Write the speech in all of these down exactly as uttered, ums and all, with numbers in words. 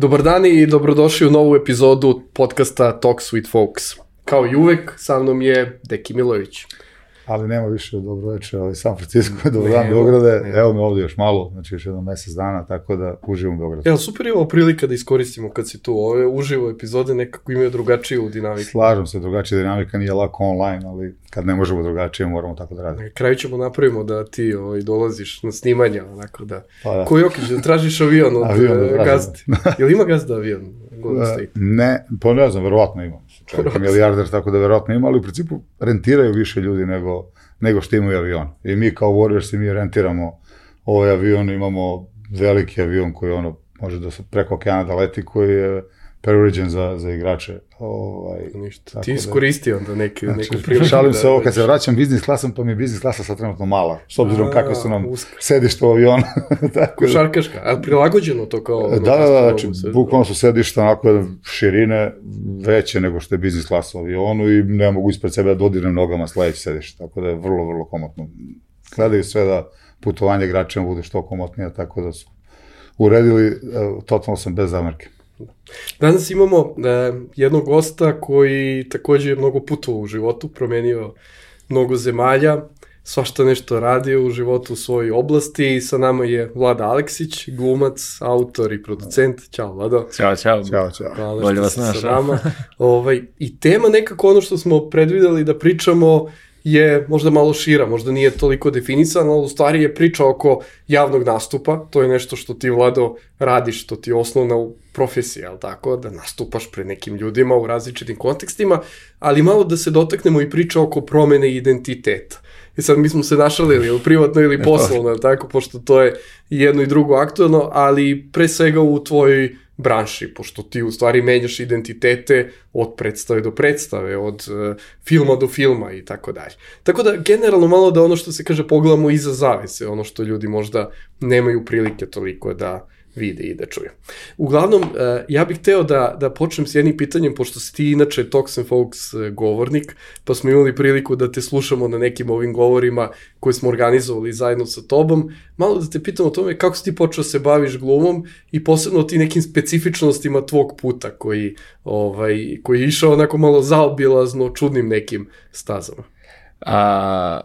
Dobar dan i dobrodošli u novu epizodu podcasta Talks with Folks. Kao i uvek, sa mnom je Deki Milović. Ali nema više dobro večer, ali San Francisco, dobar dan Beograde, evo me ovdje još malo, znači još jedno mesec dana, tako da uživam u Beogradu. Evo, super je ovo prilika da iskoristimo kad si tu, ove uživo epizode nekako imaju drugačiju dinamiku. Slažem se, drugačija dinamika nije lako online, ali kad ne možemo drugačije, moramo tako da radimo. Na kraju ćemo napravimo da ti ovaj, dolaziš na snimanja, onako da, pa da. Ko Jokić, da tražiš avion od avion, gazde. Jel ima gazda avion? Ne, pa ne znam, verovatno ima. Čovjek je milijarder, tako da verovatno ima, ali u principu rentiraju više ljudi nego, nego što imaju avion. I mi kao Warriors mi rentiramo ovaj avion, imamo veliki avion koji ono može da se preko okeana da leti, koji je preuređen za, za igrače. Ovaj, Ništa, ti iskoristi onda neki, znači, neku priliku. Šalim se ovo, kad se vraćam biznis klasom, pa mi je biznis klasa sad trenutno mala, s obzirom kakve su nam sedišta u avionu. Košarkaška, ali prilagođeno to kao... Ono, da, da, da, znači, bukvalno su sedišta onako širine veće nego što je biznis klasa u avionu i ne mogu ispred sebe da dodirnem nogama sledeći sedišta, tako da je vrlo, vrlo komotno. Gledaju sve da putovanje igračima bude što komotnije, tako da su uredili, totalno sam bez zamerke. Danas imamo uh, jednog gosta koji također je mnogo putovao u životu, promenio mnogo zemalja, svašta nešto radio u životu u svojoj oblasti i sa nama je Vlada Aleksić, glumac, autor i producent. Ćao, Vlado. Ćao, čao. Ćao, čao. Hvala Bolje vas našao. ovaj, I tema nekako ono što smo predvideli da pričamo je možda malo šira, možda nije toliko definisana, ali u stvari je priča oko javnog nastupa, to je nešto što ti, Vlado, radiš, što ti je osnovna profesija, ali tako, da nastupaš pred nekim ljudima u različitim kontekstima, ali malo da se dotaknemo i priča oko promene identiteta. I sad mi smo se našalili, ili privatno ili poslovno, tako, pošto to je jedno i drugo aktualno, ali pre svega u tvojoj branši, pošto ti u stvari menjaš identitete od predstave do predstave, od uh, filma do filma i tako dalje. Tako da, generalno malo da ono što se kaže pogledamo iza zavese, ono što ljudi možda nemaju prilike toliko da vide i da čuju. Uglavnom, uh, ja bih hteo da, da počnem s jednim pitanjem, pošto si ti inače Talks and Folks uh, govornik, pa smo imali priliku da te slušamo na nekim ovim govorima koje smo organizovali zajedno sa tobom. Malo da te pitam o tome kako si ti počeo se baviš glumom i posebno o ti nekim specifičnostima tvog puta koji, ovaj, koji je išao onako malo zaobilazno čudnim nekim stazama. A...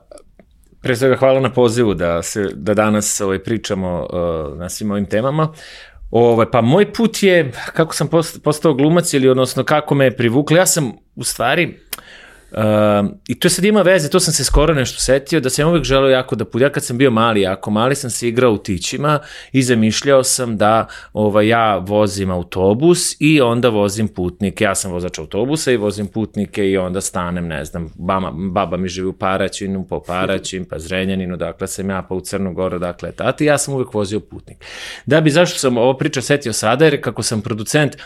Pre svega hvala na pozivu da, se, da danas ovaj, pričamo uh, na svim ovim temama. Ovaj, pa moj put je, kako sam postao glumac ili odnosno kako me je privuklo, ja sam u stvari, uh, i to sad ima veze, to sam se skoro nešto setio, da sam uvijek želeo jako da put, ja kad sam bio mali, jako mali sam se igrao u tićima i zamišljao sam da ovaj, ja vozim autobus i onda vozim putnike, ja sam vozač autobusa i vozim putnike i onda stanem, ne znam, baba, baba mi živi u Paraćinu, po Paraćin, pa Zrenjaninu, dakle sam ja, pa u Crnu Goru, dakle tati, ja sam uvijek vozio putnik. Da bi, zašto sam ovo priča setio sada, jer kako sam producent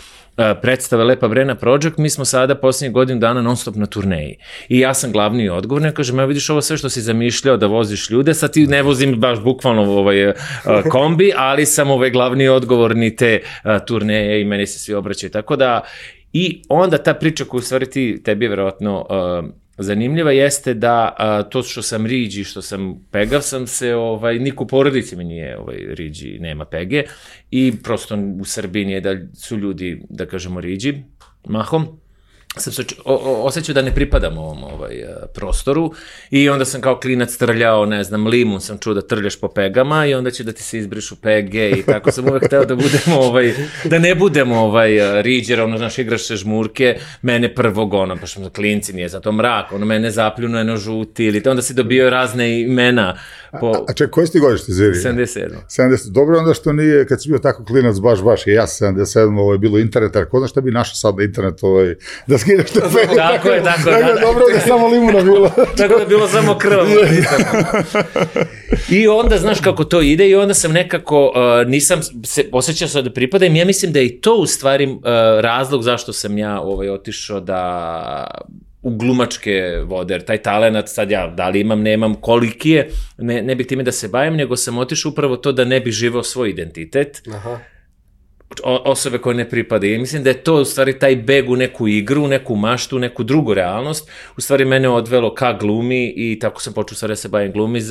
predstave Lepa Brena Project, mi smo sada posljednjih godinu dana non stop na turneji. I ja sam glavni i odgovorni, kažem, ja vidiš ovo sve što si zamišljao da voziš ljude, sad ti ne vozim baš bukvalno ovaj, kombi, ali sam ovaj glavni i odgovorni te turneje i meni se svi obraćaju. Tako da, i onda ta priča koju u stvari ti, tebi je verovatno uh, zanimljiva jeste da a, to što sam riđi, što sam pegav sam se, ovaj, niko u porodici mi nije ovaj, riđi, nema pege i prosto u Srbiji nije da su ljudi, da kažemo, riđi, mahom. Sam se o, o, osjećao da ne pripadam ovom ovaj, prostoru i onda sam kao klinac trljao, ne znam, limun sam čuo da trljaš po pegama i onda će da ti se izbrišu pege i tako sam uvek hteo da budemo, ovaj, da ne budemo ovaj, riđer, ono, znaš, igraš se žmurke, mene prvog, ono, pa što klinci, nije zato mrak, ono, mene zapljunu, eno žuti ili te, onda si dobio razne imena. Po... A, a ček, koji si ti godište, Ziri? sedamdeset sedam. sedamdeset Dobro, onda što nije, kad si bio tako klinac, baš, baš, i ja sedamdeset sedam ovo je bilo internet, a ko zna šta bi našao sad na internetu, ovaj, da skineš te pege. Tako je, tako je. Da, dobro da je samo limuna bilo. Tako da je bilo samo krv. I onda, znaš kako to ide i onda sam nekako, uh, nisam se osjećao sad da pripadam, ja mislim da je i to u stvari uh, razlog zašto sam ja ovaj, otišao da... u glumačke vode, jer taj talenat sad ja, da li imam, nemam, koliki je, ne, ne bih time da se bavim, nego sam otišao upravo to da ne bih živao svoj identitet. Aha. O, osobe koje ne pripadaju. I mislim da je to u stvari taj beg u neku igru, neku maštu, neku drugu realnost. U stvari mene odvelo ka glumi i tako sam počeo stvari da se bavim glumi. Uh,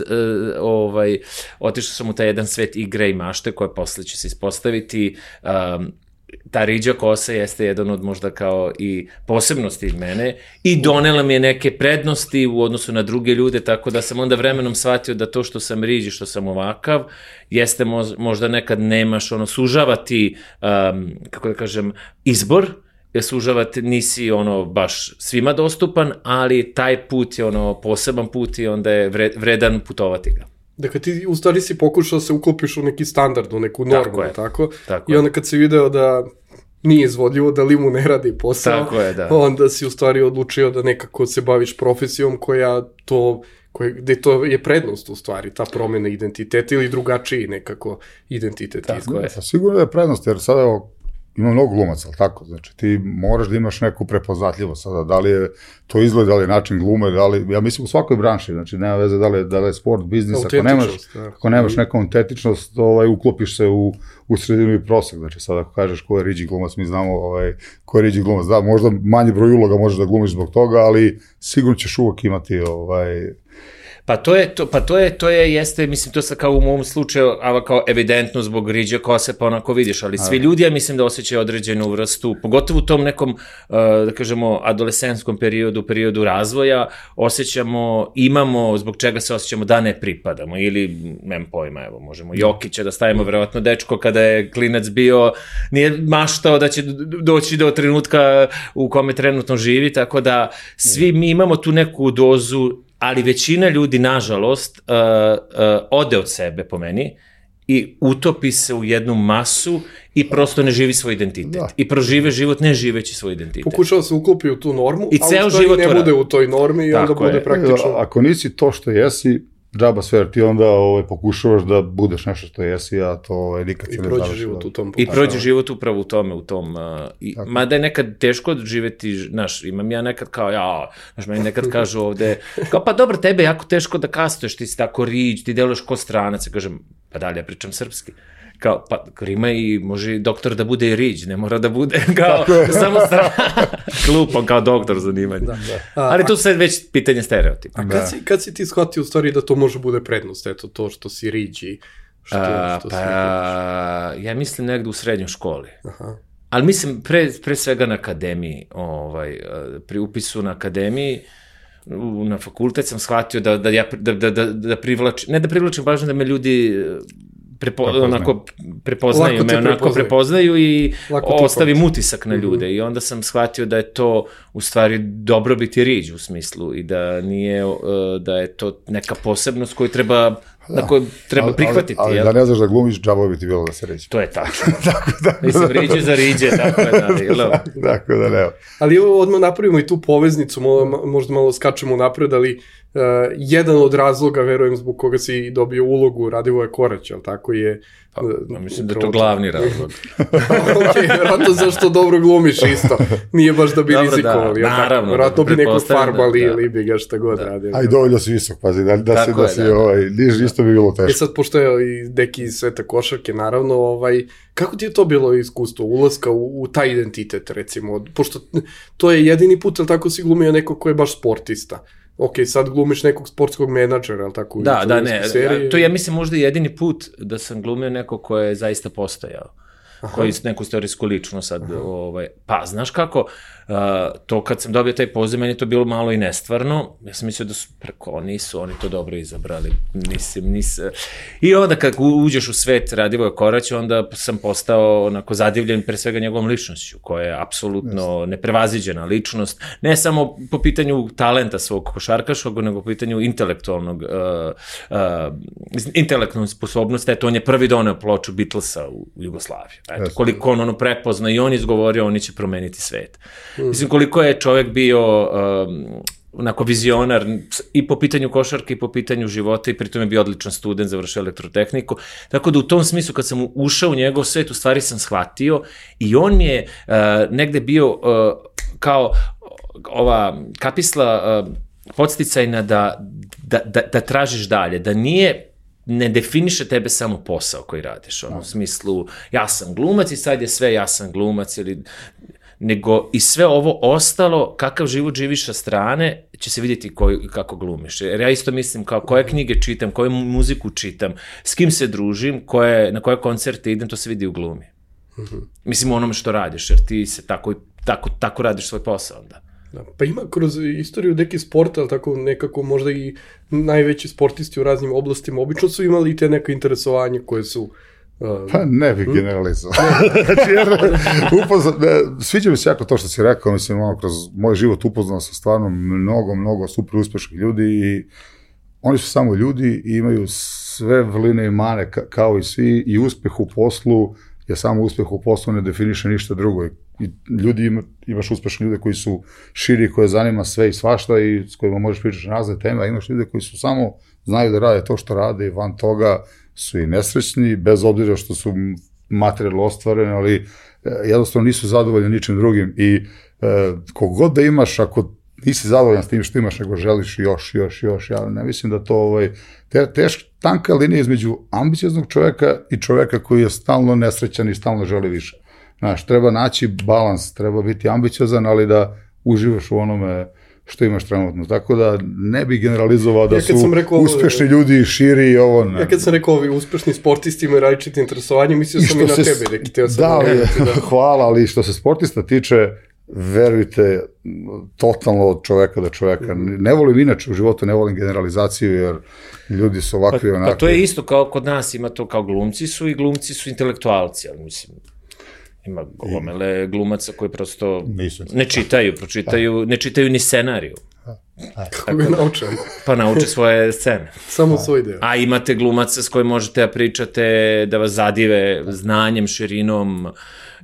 ovaj, otišao sam u taj jedan svet igre i mašte koje posle će se ispostaviti um, ta riđa kosa jeste jedan od možda kao i posebnosti mene i donela mi je neke prednosti u odnosu na druge ljude, tako da sam onda vremenom shvatio da to što sam riđi, što sam ovakav, jeste možda nekad nemaš, ono, sužavati, um, kako da kažem, izbor, jer sužavati nisi, ono, baš svima dostupan, ali taj put je, ono, poseban put i onda je vredan putovati ga. Dakle, ti u stvari si pokušao da se uklopiš u neki standard, u neku normu, tako je, tako? Tako I onda kad si video da nije izvodljivo, da li mu ne radi posao, tako je, da. Onda si u stvari odlučio da nekako se baviš profesijom koja to, koje, gde to je prednost u stvari, ta promjena identiteta ili drugačiji nekako identitet. Tako je. Sigurno je prednost, jer sada evo, ima mnogo glumaca, ali tako? Znači, ti moraš da imaš neku prepoznatljivost sada, da li je to izgled, da li je način glume, da li, ja mislim u svakoj branši, znači, nema veze da li je, da li je sport, biznis, ako nemaš, ako nemaš neku autentičnost, ovaj, uklopiš se u, u sredinu i prosek, znači, sad ako kažeš ko je riđi glumac, mi znamo ovaj, ko je riđi glumac, da, možda manji broj uloga možeš da glumiš zbog toga, ali sigurno ćeš uvek imati, ovaj, Pa to je, to, pa to je, to je, jeste, mislim, to sad kao u mom slučaju, ava kao evidentno zbog riđe kose, pa onako vidiš, ali svi ljudi, ja mislim da osjećaju određenu vrstu, pogotovo u tom nekom, da kažemo, adolescenskom periodu, periodu razvoja, osjećamo, imamo, zbog čega se osjećamo da ne pripadamo, ili, nemam pojma, evo, možemo Jokića da stavimo, verovatno dečko kada je klinac bio, nije maštao da će doći do trenutka u kome trenutno živi, tako da svi mi imamo tu neku dozu, ali većina ljudi, nažalost, uh, uh, ode od sebe, po meni, i utopi se u jednu masu i prosto ne živi svoj identitet. Da. I prožive život ne živeći svoj identitet. Pokušava se uklopi u tu normu, I a u stvari ne bude u toj normi i onda bude praktično... Ako nisi to što jesi, džaba sve, ti onda ovaj, pokušavaš da budeš nešto što jesi, a to ovaj, nikad se ne završi. I prođe život u tom. I prođe život upravo u tome, u tom. Uh, i, mada je nekad teško živeti, znaš, imam ja nekad kao, ja, znaš, meni nekad kažu ovde, kao, pa dobro, tebe je jako teško da kastuješ, ti si tako riđ, ti deluješ ko stranac, ja kažem, pa dalje, ja pričam srpski. Kao, pa Rima i može doktor da bude i riđ, ne mora da bude kao samo strana. Klupan kao doktor zanimanja. Da, da. Ali tu sad već pitanje stereotipa. A kad si, kad si ti shvatio u stvari da to može bude prednost, eto to što si riđ i što, A, što pa, si riđ? Ja mislim negde u srednjoj školi. Aha. Ali mislim pre, pre svega na akademiji, ovaj, pri upisu na akademiji, na fakultet sam shvatio da, da, ja, da, da, da, da privlačim, ne da privlačim pažnju, da me ljudi Prepo, onako prepoznaju me, onako prepoznaju, prepoznaju i ostavim utisak na ljude. Mm-hmm. I onda sam shvatio da je to u stvari dobrobit i riđ u smislu i da nije, da je to neka posebnost koju treba, da. Na koju treba prihvatiti. Ali, ali, ali da ne znaš da glumiš, džabo bi ti bilo da se riđe. To je tako. tako da, Mislim, riđe za riđe, tako je. Da, tako, tako da ne. Ali odmah napravimo i tu poveznicu, možda malo skačemo napred, ali Uh, jedan od razloga, verujem, zbog koga si dobio ulogu Radivoja Koraća, ali tako je... Pa, uh, mislim da je to glavni razlog. Ok, vjerojatno zašto dobro glumiš isto. Nije baš da bi Dobro, rizikovali. Da, naravno. Vjerojatno bi nekog farbali da, ili bi ga šta god da. radio. A i dovoljno si visok, pazi, da, da se, da je, si, da, ovaj, niš, isto bi bilo teško. E sad, pošto je i deki iz sveta košarke, naravno, ovaj, kako ti je to bilo iskustvo, ulaska u, u taj identitet, recimo, pošto to je jedini put, ali tako si glumio neko ko je baš sportista. Ok, sad glumiš nekog sportskog menadžera, ali tako? Da, da, ne, seriji. To je, ja mislim, možda jedini put da sam glumio neko ko je zaista postojao. Aha. Koji je neku istorijsku ličnost sad, ovaj, pa, znaš kako, uh, to kad sam dobio taj poziv, meni je to bilo malo i nestvarno, ja sam mislio da su, preko, nisu oni to dobro izabrali, nisam, nisam, i onda kad uđeš u svet Radivoja Koraća, onda sam postao onako zadivljen pre svega njegovom ličnošću, koja je apsolutno neprevaziđena ličnost, ne samo po pitanju talenta svog košarkaškog, nego po pitanju intelektualnog, uh, uh, intelektualne sposobnosti, eto, on je prvi doneo ploču Beatlesa u Jugoslaviju. Eto, koliko on ono prepozna i on izgovorio, oni će promeniti svet. Mm. Mislim, koliko je čovjek bio um, onako vizionar i po pitanju košarke i po pitanju života i pritom je bio odličan student, završio elektrotehniku. Tako da u tom smislu kad sam ušao u njegov svet, u stvari sam shvatio i on je uh, negde bio uh, kao ova kapisla uh, podsticajna da, da, da, da tražiš dalje, da nije ne definiše tebe samo posao koji radiš, ono, u smislu, ja sam glumac i sad je sve ja sam glumac, ili, nego i sve ovo ostalo, kakav život živiš sa strane, će se vidjeti koji, kako glumiš. Jer ja isto mislim, kao koje knjige čitam, koju muziku čitam, s kim se družim, koje, na koje koncerte idem, to se vidi u glumi. Mm-hmm. Mislim, u onome što radiš, jer ti se tako, tako, tako radiš svoj posao onda. Da, pa ima kroz istoriju neki sporta, ali tako nekako možda i najveći sportisti u raznim oblastima obično su imali i te neka interesovanje koje su... Uh, pa ne bih generalizao. Znači, jer upozna, sviđa mi se jako to što si rekao, mislim, ono, kroz moj život upoznao sam stvarno mnogo, mnogo super uspešnih ljudi i oni su samo ljudi i imaju sve vrline i mane ka, kao i svi i uspeh u poslu je samo uspeh u poslu, ne definiše ništa drugo. I ljudi ima, imaš uspešne ljude koji su širi, koje zanima sve i svašta i s kojima možeš pričati na razne teme, a imaš ljude koji su samo znaju da rade to što rade i van toga su i nesrećni, bez obzira što su materijalno ostvareni, ali jednostavno nisu zadovoljni ničim drugim i e, kogod da imaš, ako nisi zadovoljan s tim što imaš, nego želiš još, još, još, ja ne mislim da to ovaj, te, teška, tanka linija između ambicioznog čoveka i čoveka koji je stalno nesrećan i stalno želi više. Znaš, treba naći balans, treba biti ambiciozan, ali da uživaš u onome što imaš trenutno. Tako da ne bi generalizovao da ja su rekao, uspešni ljudi širi i ovo. Ne. Ja kad sam rekao ovi uspešni sportisti imaju različite interesovanje, mislio sam i, i na se, tebe. Neki teo sam da, ali, da, hvala, ali što se sportista tiče, verujte, totalno od čoveka do čoveka. Mm. Ne volim inače u životu, ne volim generalizaciju, jer ljudi su ovakvi pa, onakvi. Pa to je isto kao kod nas, ima to kao glumci su i glumci su intelektualci, ali mislim... Ima gomele glumaca koji prosto ne čitaju, pročitaju, ne čitaju ni scenariju. Kako ga nauče? Pa nauče svoje scene. Samo svoj deo. A imate glumaca s kojim možete da pričate, da vas zadive znanjem, širinom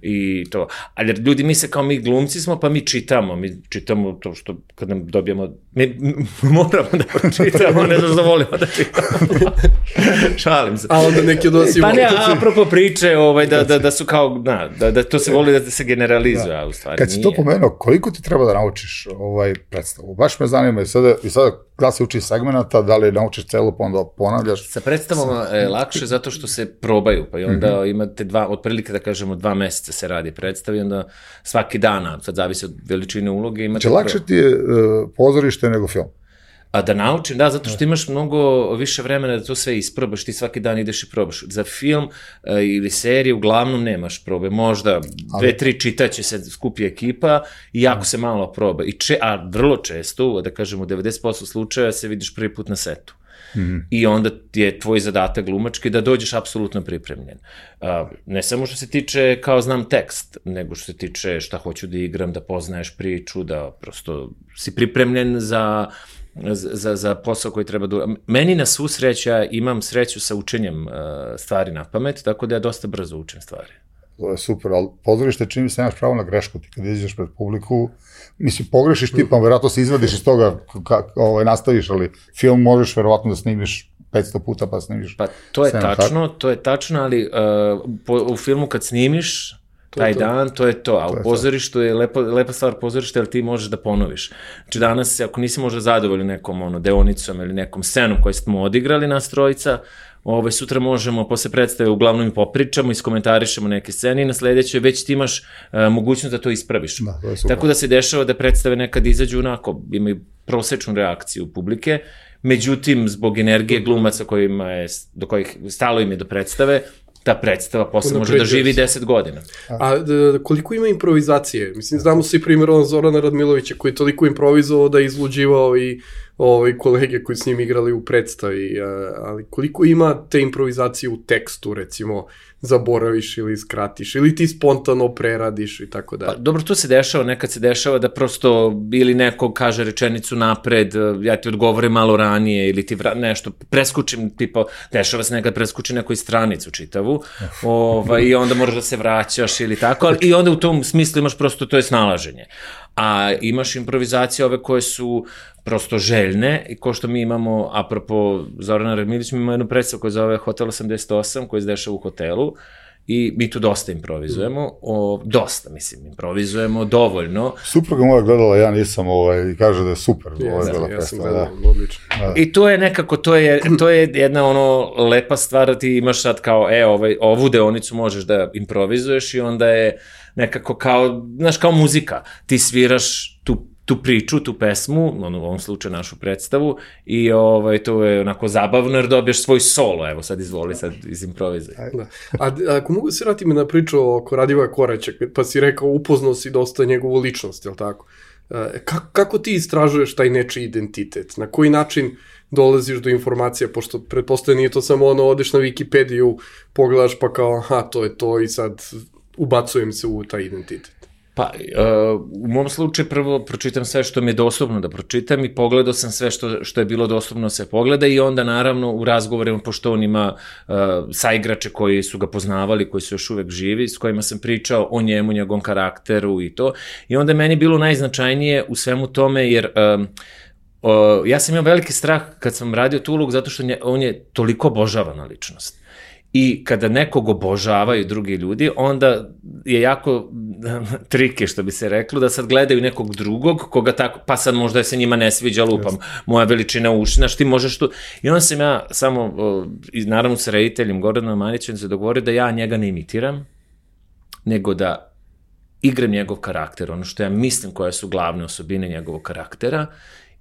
i to. Ali ljudi misle kao mi glumci smo, pa mi čitamo. Mi čitamo to što kad nam dobijemo... Mi moramo da pročitamo, ne znaš da volimo da čitamo. Šalim se. A onda neki od vas i pa ne, apropo priče, ovaj, da, da, da su kao, na, da, da to se voli da se generalizuje, a u stvari kad si nije. To pomenuo, koliko ti treba da naučiš ovaj predstavu? Baš me zanima i sada, i sada da se uči segmenata, da li naučiš celu, pa onda ponavljaš? Sa predstavama je lakše zato što se probaju, pa i onda mm-hmm. imate dva, otprilike da kažemo dva meseca se radi predstavi, onda svaki dan, sad zavisi od veličine uloge. Imate znači, lakše ti je uh, pozorište nego film? A da naučim, da, zato što imaš mnogo više vremena da to sve isprobaš, ti svaki dan ideš i probaš. Za film uh, ili seriju uglavnom nemaš probe, možda dve, tri čitaće se skupi ekipa i jako se malo proba. I če, a vrlo često, da kažemo, u devedeset posto slučaja se vidiš prvi put na setu. Mm-hmm. I onda je tvoj zadatak glumački da dođeš apsolutno pripremljen. Uh, ne samo što se tiče kao znam tekst, nego što se tiče šta hoću da igram, da poznaješ priču, da prosto si pripremljen za... Za, za posao koji treba da... Meni na svu sreću, ja imam sreću sa učenjem uh, stvari na pamet, tako da ja dosta brzo učim stvari. To je super, ali pozorište čini se nemaš pravo na grešku, ti kad izađeš pred publiku, mislim, pogrešiš ti, pa verovatno se izvadiš iz toga, kako ovaj, nastaviš, ali film možeš verovatno da snimiš petsto puta, pa snimiš... Pa to je tačno, to je tačno, ali uh, po, u filmu kad snimiš, taj dan, to je to, a u pozorištu je lepa, lepa stvar pozorišta, jer ti možeš da ponoviš. Znači danas, ako nisi možda zadovoljni nekom ono, deonicom ili nekom scenom koju smo odigrali nas trojica, ove, sutra možemo posle predstave uglavnom i popričamo, iskomentarišemo neke scene i na sledećoj već ti imaš uh, mogućnost da to ispraviš. Da, to tako da se dešava da predstave nekad izađu onako, imaju prosečnu reakciju publike, međutim, zbog energije glumaca kojima je, do kojih stalo im je do predstave, ta predstava posle može da živi deset godina. A da, koliko ima improvizacije? Mislim, znamo svi primjer on Zorana Radmilovića koji je toliko improvizovao da je izluđivao i ovaj, kolege koji s njim igrali u predstavi, ali koliko ima te improvizacije u tekstu, recimo, zaboraviš ili skratiš, ili ti spontano preradiš i tako dalje. Pa, dobro, to se dešava, nekad se dešava da prosto ili neko kaže rečenicu napred, ja ti odgovorim malo ranije, ili ti vra, nešto preskučim, tipa, dešava se nekad preskuči nekoj stranicu čitavu, ovaj, i onda moraš da se vraćaš ili tako, ali, i onda u tom smislu imaš prosto, to je snalaženje. A imaš improvizacije ove koje su prosto željne i ko što mi imamo, apropo Zorana Radmilić, mi imamo jednu predstavu koja zove Hotel osamdeset osam, koja se dešava u hotelu i mi tu dosta improvizujemo, o, dosta, mislim, improvizujemo dovoljno. Supruga moja gledala, ja nisam, ovaj, i kaže da je super. Yes, ovaj, da, ja sam gledala, odlično. I to je nekako, to je, to je jedna ono lepa stvar da ti imaš sad kao, e, ovaj, ovu deonicu možeš da improvizuješ i onda je nekako kao, znaš, kao muzika. Ti sviraš tu tu priču, tu pesmu, ono, u ovom slučaju našu predstavu, i ovaj, to je onako zabavno jer dobiješ svoj solo, evo sad izvoli, sad izimprovizaj. Da. A, a ako mogu se vratiti me na priču oko Radivoja Koraća, pa si rekao upoznao si dosta njegovu ličnost, je li tako? Kako, kako ti istražuješ taj nečiji identitet? Na koji način dolaziš do informacija, pošto pretpostavljeno nije to samo ono, odeš na Wikipediju, pogledaš pa kao, aha, to je to i sad ubacujem se u taj identitet. Pa, uh, u mom slučaju prvo pročitam sve što mi je dostupno da pročitam i pogledao sam sve što, što je bilo dostupno se pogleda i onda naravno u razgovorima, pošto on ima uh, saigrače koji su ga poznavali, koji su još uvek živi, s kojima sam pričao o njemu, njegovom karakteru i to. I onda je meni bilo najznačajnije u svemu tome jer... Um, Uh, ja sam imao veliki strah kad sam radio tu ulogu zato što nje, on je toliko obožavana ličnost. I kada nekog obožavaju drugi ljudi, onda je jako trike, što bi se reklo, da sad gledaju nekog drugog, koga tako, pa sad možda se njima ne sviđa, lupam, moja veličina ušina, što ti možeš tu... I onda sam ja samo, uh, naravno sa rediteljem Gordanom Manićem se dogovorio da ja njega ne imitiram, nego da igram njegov karakter, ono što ja mislim koje su glavne osobine njegovog karaktera,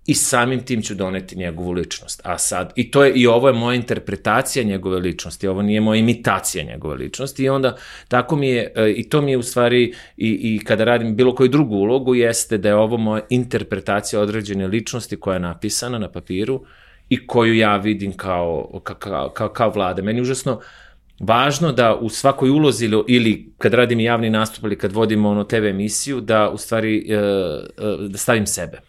i samim tim ću doneti njegovu ličnost. A sad, i to je, i ovo je moja interpretacija njegove ličnosti, ovo nije moja imitacija njegove ličnosti i onda tako mi je, i to mi je u stvari, i, i kada radim bilo koju drugu ulogu, jeste da je ovo moja interpretacija određene ličnosti koja je napisana na papiru i koju ja vidim kao, kao, kao, kao vlade. Meni je užasno važno da u svakoj ulozi ili, ili kad radim javni nastup ili kad vodim ono te ve emisiju, da u stvari da stavim sebe.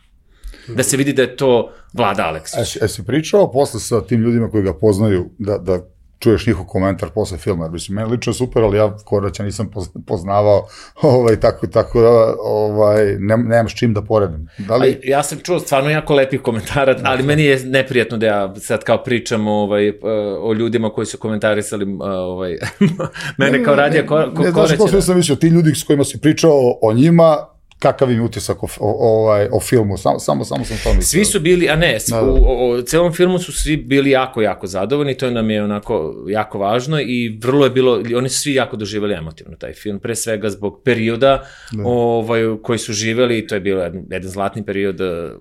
Da se vidi da je to Vlada Aleksić. E, si pričao posle sa tim ljudima koji ga poznaju, da, da čuješ njihov komentar posle filma, jer mislim, meni lično je super, ali ja Koraća nisam poznavao, ovaj, tako, tako da ovaj, ne, nemam s čim da poredim. Da li... Ja sam čuo stvarno jako lepih komentara, ali meni je neprijatno da ja sad kao pričam ovaj, o ljudima koji su komentarisali ovaj, mene kao radija Koraća. Ne, znaš, posle sam mislio, ti ljudi s kojima si pričao o njima, kakav im utisak o, o, o, o filmu, samo, samo, samo sam to mislio. Svi su bili, a ne, da, da. U, u celom filmu su svi bili jako, jako zadovoljni, to nam je onako jako važno i vrlo je bilo, oni su svi jako doživjeli emotivno taj film, pre svega zbog perioda ovaj, koji su živjeli, to je bilo jedan, jedan zlatni period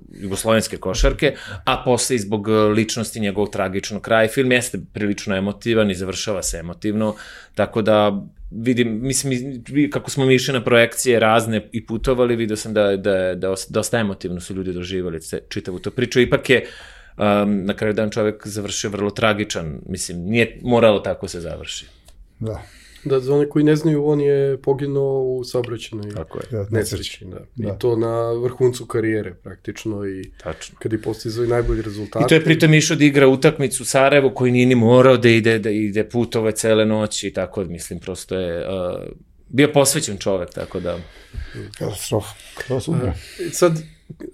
jugoslovenske košarke, a posle i zbog ličnosti njegovog tragičnog kraja. Film jeste prilično emotivan i završava se emotivno, tako da vidim, mislim, kako smo mi išli na projekcije razne i putovali, vidio sam da, da, da dosta emotivno su ljudi doživali čitavu tu priču. Ipak je um, na kraju dan čovek završio vrlo tragičan, mislim, nije moralo tako se završi. Da. Da, za one koji ne znaju, on je poginuo u saobraćajnoj nesreći. Da. Da. I to na vrhuncu karijere, praktično. I tačno. Kad je postizao i najbolji rezultat. I to je pritom išao da igra utakmicu u Sarajevu, koji nije ni morao da ide, da ide putove cele noći i tako, mislim, prosto je uh, bio posvećen čovek, tako da... Katastrofa. Katastrofa. Sad,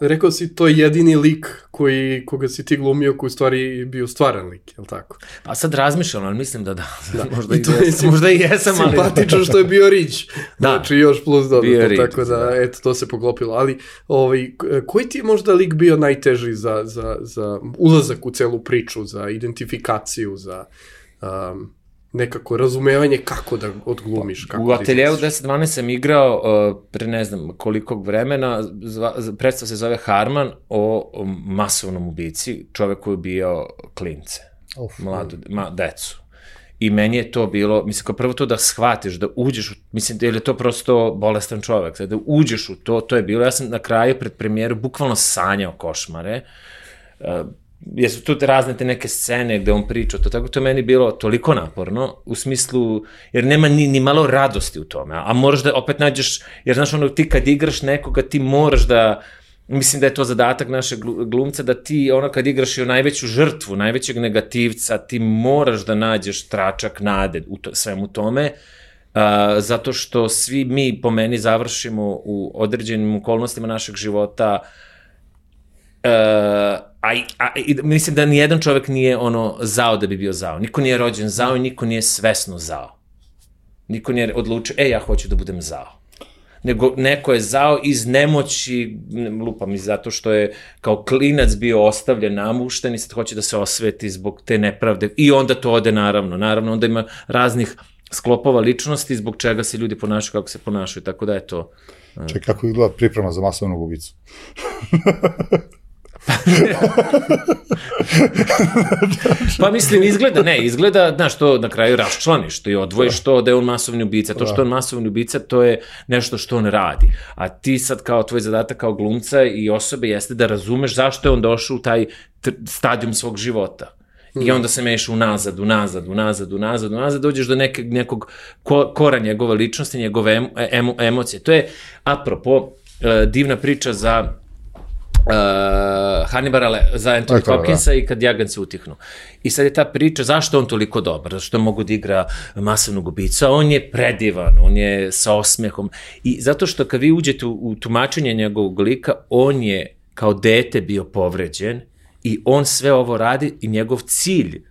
rekao si, to je jedini lik koji, koga si ti glumio, koji u stvari bio stvaran lik, je li tako? Pa sad razmišljam, ali mislim da da. da. Možda, i jesam, možda i jesam, ali... Simpatično što je bio Rić. Da. Znači, još plus dodatno, tako da, da, eto, to se poklopilo. Ali, ovaj, koji ti je možda lik bio najteži za, za, za ulazak u celu priču, za identifikaciju, za... Um, nekako razumevanje kako da odglumiš. Kako u ateljevu deset dvanaest sam igrao uh, pre ne znam kolikog vremena, predstav se zove Harman o, o masovnom ubici, čovek koji je ubijao klince, Uf, mladu, ma, decu. I meni je to bilo, mislim, kao prvo to da shvatiš, da uđeš, u, mislim, ili je to prosto bolestan čovek, da uđeš u to, to je bilo, ja sam na kraju pred premijeru bukvalno sanjao košmare, uh, jesu tu razne te neke scene gde on priča, to tako to je meni bilo toliko naporno, u smislu, jer nema ni, ni malo radosti u tome, a moraš da opet nađeš, jer znaš ono, ti kad igraš nekoga, ti moraš da, mislim da je to zadatak našeg glumca, da ti ono kad igraš i o najveću žrtvu, najvećeg negativca, ti moraš da nađeš tračak nade u to, svemu tome, uh, zato što svi mi po meni završimo u određenim okolnostima našeg života, uh, A, a, i, mislim da nijedan čovek nije ono zao da bi bio zao. Niko nije rođen zao i niko nije svesno zao. Niko nije odlučio, e, ja hoću da budem zao. Nego neko je zao iz nemoći, lupam, i zato što je kao klinac bio ostavljen, namušten i sad hoće da se osveti zbog te nepravde. I onda to ode naravno. Naravno, onda ima raznih sklopova ličnosti zbog čega se ljudi ponašaju kako se ponašaju. Tako da je to... Čekaj, kako izgleda priprema za masovnog ubicu? Pa mislim, izgleda, ne, izgleda, znaš, to na kraju raščlaniš, to i odvojiš to da je on masovni ubica. To što je on masovni ubica, to je nešto što on radi. A ti sad kao tvoj zadatak kao glumca i osobe jeste da razumeš zašto je on došao u taj stadijum svog života. I onda se meš unazad, unazad, unazad, unazad, unazad, dođeš do neke, nekog kora njegove ličnosti, njegove emo, emo, emocije. To je, apropo, divna priča za Uh, Hannibala, za Anthony Hopkinsa i kad jaganci utihnu. I sad je ta priča, zašto on toliko dobar? Zašto mogu da igra masovnog ubica? On je predivan, on je sa osmehom. I zato što kad vi uđete u, u tumačenje njegovog lika, on je kao dete bio povređen i on sve ovo radi i njegov cilj,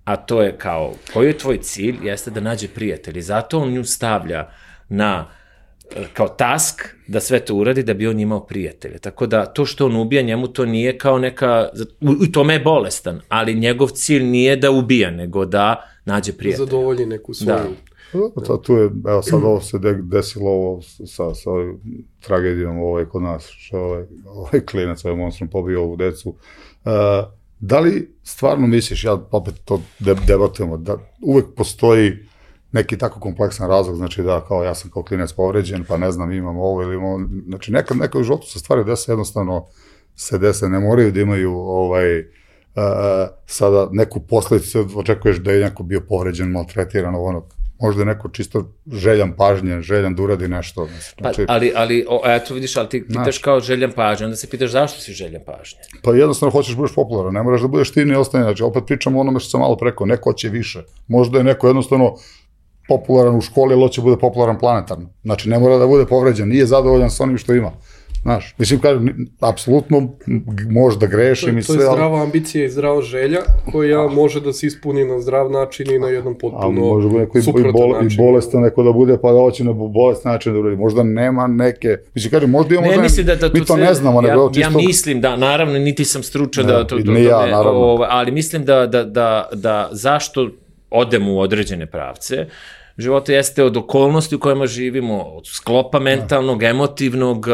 a to je kao, koji je tvoj cilj, jeste da nađe prijatelj. Zato on nju stavlja na kao task da sve to uradi da bi on imao prijatelje. Tako da to što on ubija, njemu to nije kao neka, u tome je bolestan, ali njegov cilj nije da ubija, nego da nađe prijatelje. Zadovolji neku svoju. Da. Sad tu je, evo sad ovo se desilo ovo sa, sa ovim tragedijom ovaj kod nas, što ovaj, ovaj klinac, ovaj monstrum pobio ovu decu. Uh, da li stvarno misliš, ja opet to debatujemo, da uvek postoji neki tako kompleksan razlog, znači da kao ja sam kao klinac povređen, pa ne znam imam ovo ili imam, znači nekad neka u životu se stvari dese, jednostavno se dese, ne moraju da imaju ovaj, uh, sada neku posledicu, očekuješ da je neko bio povređen, maltretiran, ono, možda je neko čisto željan pažnje, željan da uradi nešto. Znači, pa, ali, ali o, eto vidiš, ali ti pitaš kao željan pažnje, onda se pitaš zašto si željan pažnje? Pa jednostavno hoćeš da budeš popularan, ne moraš da budeš ti ni ostane, znači opet pričamo o onome što sam malo preko, neko će više, možda je neko jednostavno popularan u školi, ali hoće bude popularan planetarno. Znači, ne mora da bude povređen, nije zadovoljan sa onim što ima. Znaš, mislim, kažem, apsolutno može da grešim i sve. To je zdrava ambicija i zdrava želja koja može da se ispuni na zdrav način i na jedan potpuno suprotan način. I bolestan neko da bude, pa da hoće na bolestan način da uradi. Možda nema neke, mislim, kažem, možda imamo, ne, možda, da, da, mi to ne znamo. Ja, nego čisto... ja mislim da, naravno, niti sam stručan da to... Ne, ja, naravno. Ali mislim da, da, da, da zašto odemo u određene pravce, života jeste od okolnosti u kojima živimo, od sklopa mentalnog, emotivnog,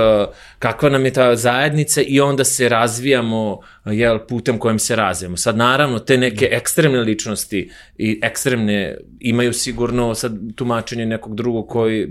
kakva nam je ta zajednica i onda se razvijamo jel, putem kojem se razvijamo. Sad naravno te neke ekstremne ličnosti i ekstremne imaju sigurno sad tumačenje nekog drugog koji,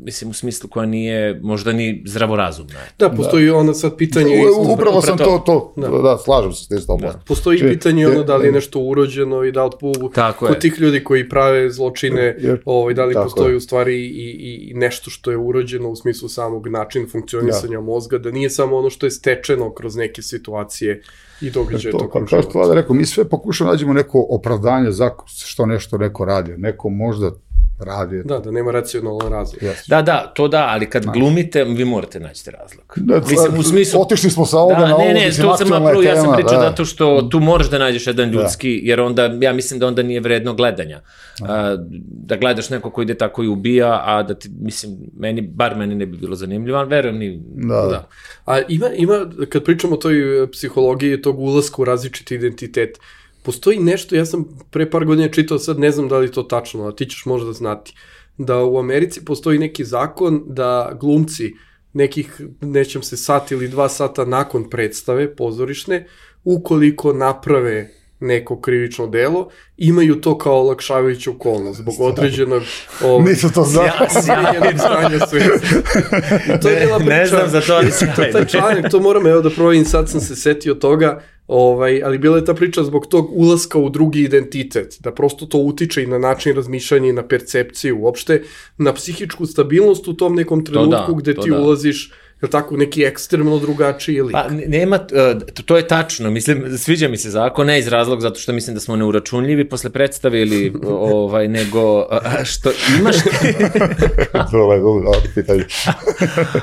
mislim u smislu koja nije možda ni zdravorazumna. Da, postoji da. Ono sad pitanje... U, upravo sam to, to da. da, slažem se s tim sto posto. Da. Postoji Či, pitanje ono da li je nešto urođeno i da li po, kod tih ljudi koji prave zločine, jer, ovaj, da li postoji je. u stvari i, i nešto što je urođeno u smislu samog načina funkcionisanja da. mozga, da nije samo ono što je stečeno kroz neke situacije i događaje to, tokom života. Kao što rekao, mi sve pokušamo nađemo neko opravdanje za što nešto neko radi. Neko možda radi. Da, da nema racionalan razlog. Yes. Da, da, to da, ali kad znači. glumite, vi morate naći razlog. Da, mislim, u smislu... Otišli smo sa ovoga da, na ovo, ne, ne, mislim, to sam napravo, ja sam pričao da. zato što tu moraš da nađeš jedan ljudski, da. jer onda, ja mislim da onda nije vredno gledanja. Da, da gledaš neko ko ide tako i ubija, a da ti, mislim, meni, bar meni ne bi bilo zanimljivo, ali verujem ni... Da, da. da. A ima, ima, kad pričamo o toj psihologiji, tog ulaska u različiti identitet, postoji nešto, ja sam pre par godina čitao, sad ne znam da li to tačno, a ti ćeš možda znati, da u Americi postoji neki zakon da glumci nekih, nećem se sat ili dva sata nakon predstave pozorišne, ukoliko naprave neko krivično delo, imaju to kao olakšavajuću okolnost zbog određenog ovaj, nisu to smijenjenog stanja svijesti. To je bila priča. Ne znam za to, ali si to, taj članak, to moram evo da provjerim, sad sam se setio toga, ovaj, ali bila je ta priča zbog tog ulaska u drugi identitet, da prosto to utiče i na način razmišljanja i na percepciju, uopšte na psihičku stabilnost u tom nekom trenutku da, gde ti da. ulaziš je li tako, neki ekstremno drugačiji lik? Pa, nema, to, to je tačno, mislim, sviđa mi se zakon, ne iz razlog zato što mislim da smo neuračunljivi posle predstave ili, ovaj, nego, što imaš...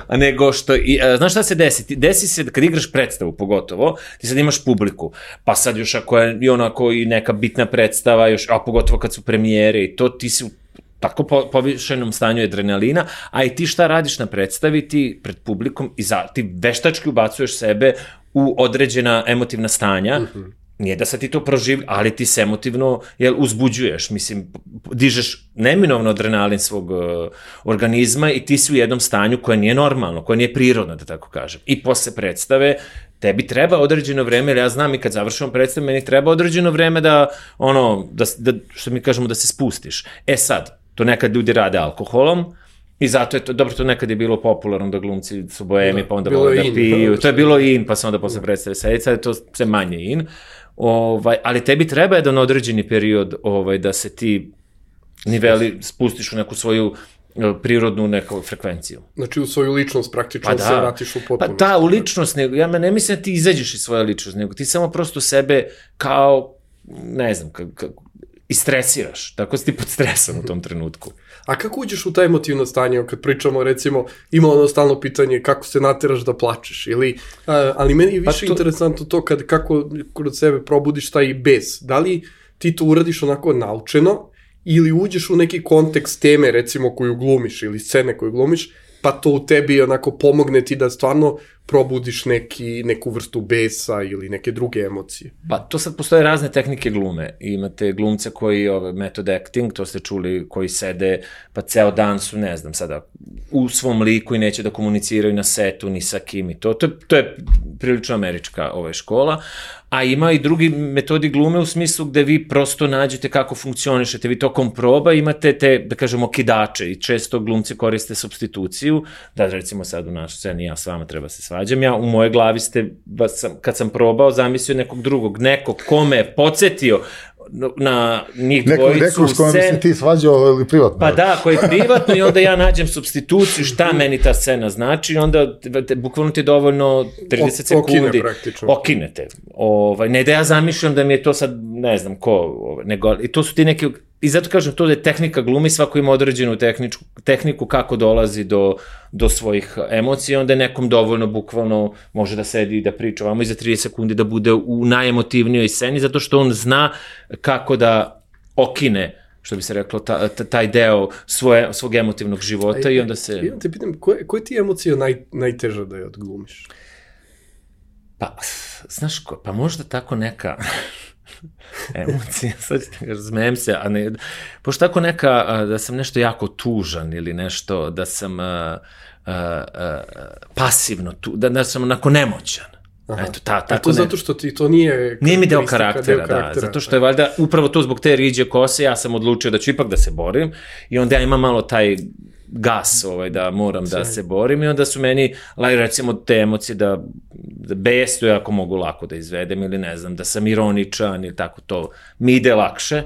A nego što, i, znaš šta se desi? Desi se, kad igraš predstavu pogotovo, ti sad imaš publiku, pa sad još ako je i onako i neka bitna predstava, još, a pogotovo kad su premijere i to, ti si tako po, povišenom stanju adrenalina, a i ti šta radiš na predstavi, ti pred publikom i za, ti veštački ubacuješ sebe u određena emotivna stanja, mm-hmm. nije da sad ti to proživlja, ali ti se emotivno jel, uzbuđuješ, mislim, dižeš neminovno adrenalin svog uh, organizma i ti si u jednom stanju koje nije normalno, koje nije prirodno, da tako kažem. I posle predstave, tebi treba određeno vreme, jer ja znam i kad završimo predstavu, meni treba određeno vreme da, ono, da, da, što mi kažemo, da se spustiš. E sad, to nekad ljudi rade alkoholom, i zato je to, dobro, to nekad je bilo popularno da glumci su boemi, pa onda vole da piju, to je bilo in, pa se onda posle predstave sedeti, sad je to sve manje in, ovaj, ali tebi treba jedan određeni period ovaj, da se ti niveli spustiš u neku svoju prirodnu neku frekvenciju. Znači u svoju ličnost praktično pa da, se vratiš u potpunosti. Pa ta u ličnost, nego, ja ne mislim da ti izađeš iz svoje ličnosti, nego ti samo prosto sebe kao, ne znam, kako, istresiraš, tako si ti pod stresom u tom trenutku. A kako uđeš u taj emotivno stanje, kad pričamo, recimo, ima ono stalno pitanje kako se nateraš da plačeš, ili, a, ali meni je više pa to... interesantno to kad, kako kod sebe probudiš taj bes. Da li ti to uradiš onako naučeno, ili uđeš u neki kontekst teme, recimo, koju glumiš, ili scene koju glumiš, pa to u tebi onako pomogne ti da stvarno probudiš neki, neku vrstu besa ili neke druge emocije. Pa to sad postoje razne tehnike glume. Imate glumce koji, ove, method acting, to ste čuli, koji sede, pa ceo dan su, ne znam, sada, u svom liku i neće da komuniciraju na setu ni sa kim i to. To je, to je prilično američka ova škola. A ima i drugi metodi glume u smislu gde vi prosto nađete kako funkcionišete, vi tokom proba imate te, da kažemo, kidače i često glumci koriste supstituciju, da recimo sad u našoj sceni ja s vama treba se svađam, ja u mojoj glavi ste, kad sam probao, zamislio nekog drugog, nekog kome je podsjetio na njih Neko, dvojicu neko s kojom se ti svađao ili privatno. Pa da, koji je privatno i onda ja nađem supstituciju šta meni ta scena znači i onda te, bukvalno ti je dovoljno trideset sekundi. Okine praktično. Okinete. Ovaj, ne da ja zamišljam da mi je to sad, ne znam ko, ovaj, nego, i to su ti neki, i zato kažem to da je tehnika glumi, svako ima određenu tehničku, tehniku kako dolazi do, do svojih emocija, onda je nekom dovoljno bukvalno može da sedi i da priča ovamo i za trideset sekundi da bude u najemotivnijoj sceni, zato što on zna kako da okine, što bi se reklo, ta, ta, taj deo svoje, svog emotivnog života i onda se... Ja te pitam, koje, koje ti emocije naj, najteža da je odglumiš? Pa, znaš ko, pa možda tako neka... emocija, sad razmejem se, a ne, pošto tako neka, da sam nešto jako tužan ili nešto, da sam a, a, a, pasivno, tu, da, da sam onako nemoćan. Aha. Eto, ta, tako a to ne... zato što ti to nije... Nije mi deo karaktera, deo karaktera, da, zato što je valjda, upravo to zbog te riđe kose, ja sam odlučio da ću ipak da se borim i onda ja imam malo taj gas, ovaj, da moram da se borim i onda su meni, recimo, te emocije da, da bestu ako mogu lako da izvedem ili ne znam, da sam ironičan ili tako to, mi ide lakše,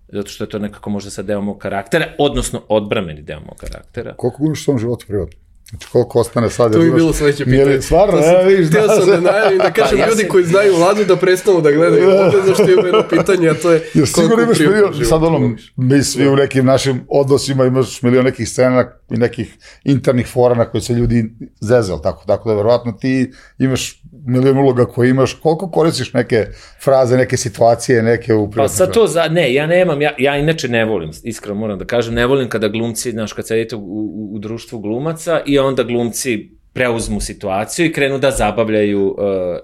zato što je to nekako možda sad deo mog karaktera, odnosno odbrameni deo mog karaktera. Koliko glumiš u svom životu privatno? Znači, koliko ostane sad? To bi bilo sledeće pitanje. Stvarno, ja, vidiš, htio sam da najavim, da kažem pa, ja ljudi se... koji znaju Vladu da prestanu da gledaju ovde, zašto je jedno pitanje, a to je... Jer sigurno imaš milion, sad ono, mi svi u nekim našim odnosima imaš milion nekih scena i nekih internih fora na koje se ljudi zezali, tako, tako da verovatno ti imaš milion uloga koje imaš, koliko koristiš neke fraze, neke situacije, neke u privatnom. Pa sad to, za, ne, ja nemam, ja, ja inače ne volim, iskreno moram da kažem, ne volim kada glumci, znaš, kad sedite u, u, u društvu glumaca i onda glumci preuzmu situaciju i krenu da zabavljaju uh,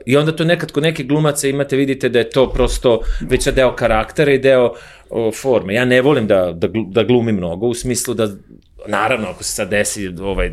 i onda to nekad kod nekih glumaca imate, vidite da je to prosto već deo karaktera i deo uh, forme. Ja ne volim da, da, da glumim mnogo u smislu da, naravno, ako se sad desi ovaj,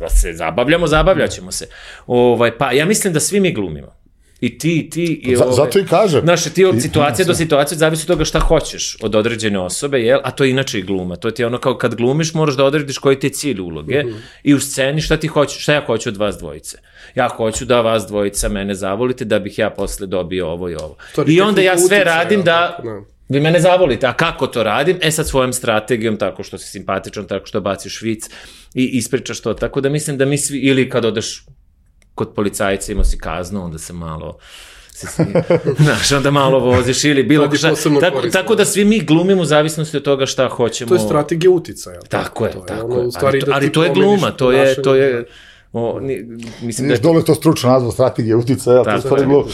da se zabavljamo, zabavljaćemo se. Ovaj, pa ja mislim da svi mi glumimo. I ti, i ti... I ove, zato i kažem. Znaš, ti od situacije do situacije zavisi od toga šta hoćeš od određene osobe, jel? A to je inače i gluma. To ti je ono kao kad glumiš moraš da odrediš koji ti je cilj uloge mm-hmm. i u sceni šta ti hoćeš, šta ja hoću od vas dvojice. Ja hoću da vas dvojica mene zavolite da bih ja posle dobio ovo i ovo. To I onda ja sve radim da... No. Vi mene zavolite, a kako to radim? E sad svojom strategijom, tako što si simpatičan, tako što baciš vic i ispričaš to. Tako da mislim da mi svi, ili kad odeš kod policajca imao si kaznu, onda se malo, se, znaš, onda malo voziš ili bilo šta. Tako, tako da svi mi glumimo u zavisnosti od toga šta hoćemo. To je strategija uticaja. Tako je, to je, tako je. Ali, to, ali to je gluma, to je, to je, o, ni, mislim Niš da... dole to stručno nazva strategija uticaja, to je stvari gluma.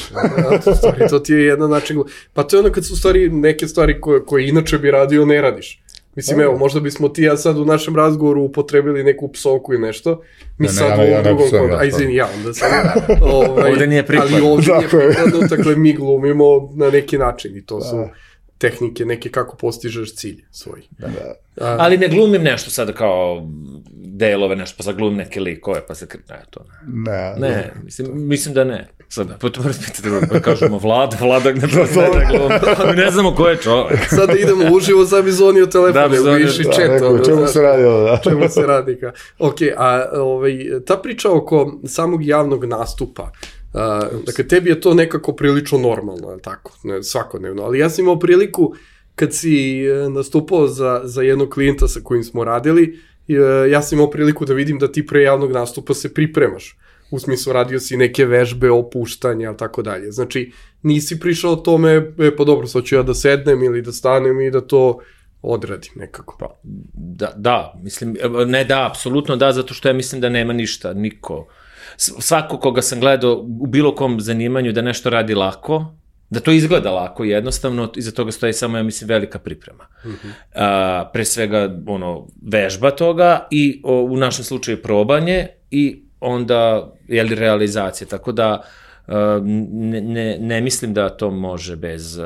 To ti je jedan način gluma. Pa to je ono kad su stvari, neke stvari koje, koje inače bi radio, ne radiš. Mislim, evo, možda bismo ti ja sad u našem razgovoru upotrebili neku psovku i nešto. Mi ne, sad ne, u ja, ovom ja drugom kontu. A izvini, ja onda sam... ovaj, ovde nije prikladno. Ali ovde nije prikladno, dakle, mi glumimo na neki način i to da. Su tehnike neke kako postižeš cilj svoj. Da. A, ali ne glumim nešto sad kao delove, nešto, pa sad glumim neke likove, pa se... Ne, to ne. Ne, ne, ne mislim, mislim da ne. Sad, potpuno razpitati, pa kažemo Vlad, Vladak ne da glumi. Ne znamo ko je čovek. Sada idemo uživo, sad bi zvonio telefon, da, bi išli čet. Da, čemu se radi ovo, da. Čemu se radi, ka. Ok, a ovaj, ta priča oko samog javnog nastupa, Uh, dakle, tebi je to nekako prilično normalno, tako, ne, svakodnevno, ali ja sam imao priliku kad si nastupao za, za jednog klijenta sa kojim smo radili, ja sam imao priliku da vidim da ti pre javnog nastupa se pripremaš, u smislu radio si neke vežbe, opuštanja, tako dalje, znači nisi prišao tome, e, pa dobro, sad ću ja da sednem ili da stanem i da to odradim nekako. Pa, da, da, mislim, ne da, apsolutno da, zato što ja mislim da nema ništa, niko. Svako koga sam gledao u bilo kom zanimanju da nešto radi lako, da to izgleda lako jednostavno, iza toga stoji samo, ja mislim, velika priprema. Mm-hmm. A, pre svega, ono, vežba toga i o, u našem slučaju probanje i onda, jeli, realizacija, tako da ne, ne, ne mislim da to može bez... Uh,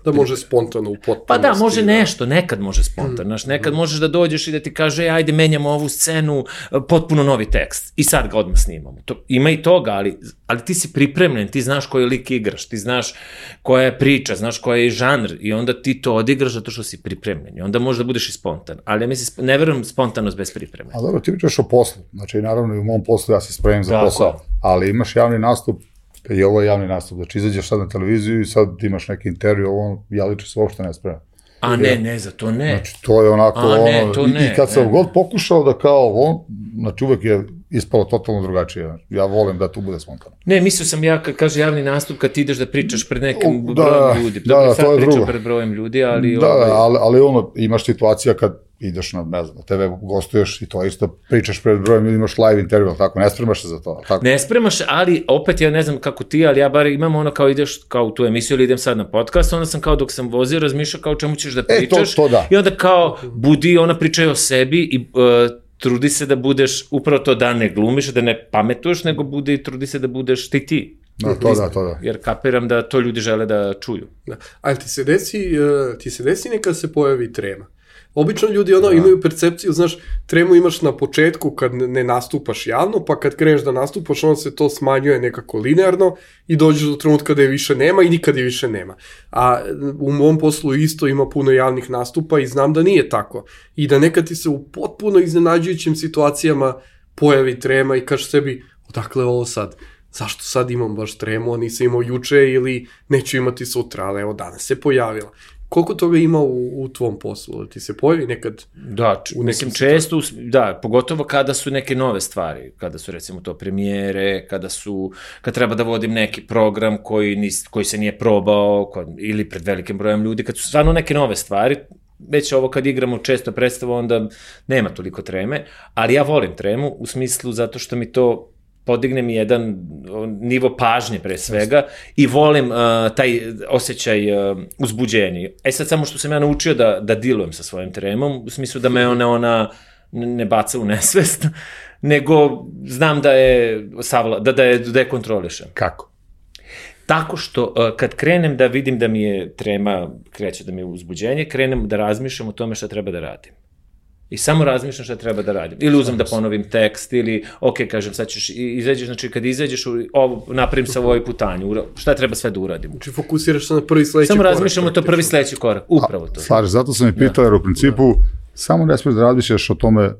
da može spontano u potpunosti. Pa da, može nešto, nekad može spontano, mm. nekad mm. možeš da dođeš i da ti kaže, e, ajde, menjamo ovu scenu, potpuno novi tekst i sad ga odmah snimamo. To, ima i toga, ali, ali ti si pripremljen, ti znaš koji lik igraš, ti znaš koja je priča, znaš koja je žanr i onda ti to odigraš zato što si pripremljen i onda možda budeš i spontan, ali ja mislim, ne verujem spontanost bez pripreme. A dobro, ti pričaš o poslu, znači naravno i u mom poslu ja se spremim za posao, ali imaš javni nastup i ovo je javni nastup, znači izađeš sad na televiziju i sad imaš neki intervju, ovo ja liče se uopšte ne spremam. A ne, ne, za to ne. Znači to je onako, A, ne, ono, to i, ne, i kad sam ne. god pokušao da kao on, znači uvek je ispalo totalno drugačije, ja volim da tu bude spontano. Ne, mislio sam ja, kad kaže javni nastup, kad ti ideš da pričaš pred nekim da, brojem ljudi, da, da, da, to je drugo. Pred brojem ljudi, ali... Da, ovaj... ali, ali ono, imaš situacija kad ideš na, ne znam, na te ve gostuješ i to isto pričaš pred brojem ljudi, imaš live intervju, tako, ne spremaš se za to. Tako. Ne spremaš, ali opet ja ne znam kako ti, ali ja bar imam ono kao ideš kao u tu emisiju ili idem sad na podcast, onda sam kao dok sam vozio razmišljao kao čemu ćeš da pričaš e, to, to da. I onda kao budi, ona pričaju o sebi i uh, trudi se da budeš upravo to da ne glumiš, da ne pametuješ, nego budi i trudi se da budeš ti ti. Da, to da, to da. Jer kapiram da to ljudi žele da čuju. Da. Ali ti se desi, uh, ti se desi neka se pojavi trema. Obično ljudi ono, da. Imaju percepciju, znaš, tremu imaš na početku kad ne nastupaš javno, pa kad kreneš da nastupaš, onda se to smanjuje nekako linearno i dođeš do trenutka da je više nema i nikad je više nema. A u mom poslu isto ima puno javnih nastupa i znam da nije tako. I da nekad ti se u potpuno iznenađujućim situacijama pojavi trema i kažeš sebi, odakle ovo sad? Zašto sad imam baš tremu, a nisam imao juče ili neću imati sutra, ali evo danas se pojavila. Koliko toga ima u, u tvom poslu? Ti se pojavi nekad? Da, u mislim često, da, pogotovo kada su neke nove stvari, kada su recimo to premijere, kada su, kad treba da vodim neki program koji, nis, koji se nije probao, kod, ili pred velikim brojem ljudi, kad su stvarno neke nove stvari, već ovo kad igramo često predstavu, onda nema toliko treme, ali ja volim tremu u smislu zato što mi to podigne mi jedan nivo pažnje pre svega i volim uh, taj osjećaj uh, uzbuđenja. E sad samo što sam ja naučio da, da dilujem sa svojim tremom, u smislu da me ona, ona ne baca u nesvest, nego znam da je, savla, da, da je, da je kontrolišem. Kako? Tako što uh, kad krenem da vidim da mi je trema, kreće da mi je uzbuđenje, krenem da razmišljam o tome šta treba da radim. I samo razmišljam šta treba da radim. Ili uzmem da ponovim tekst, ili, ok, kažem, sad ćeš izađeš, znači kad izađeš, ovo, napravim sa ovoj putanju, šta treba sve da uradim. Znači fokusiraš se na prvi sledeći samo korak. Samo razmišljamo to prvi sledeći korak, upravo to. Slažeš, zato sam i pitao, jer u principu da. Samo ne smiješ da razmišljaš o tome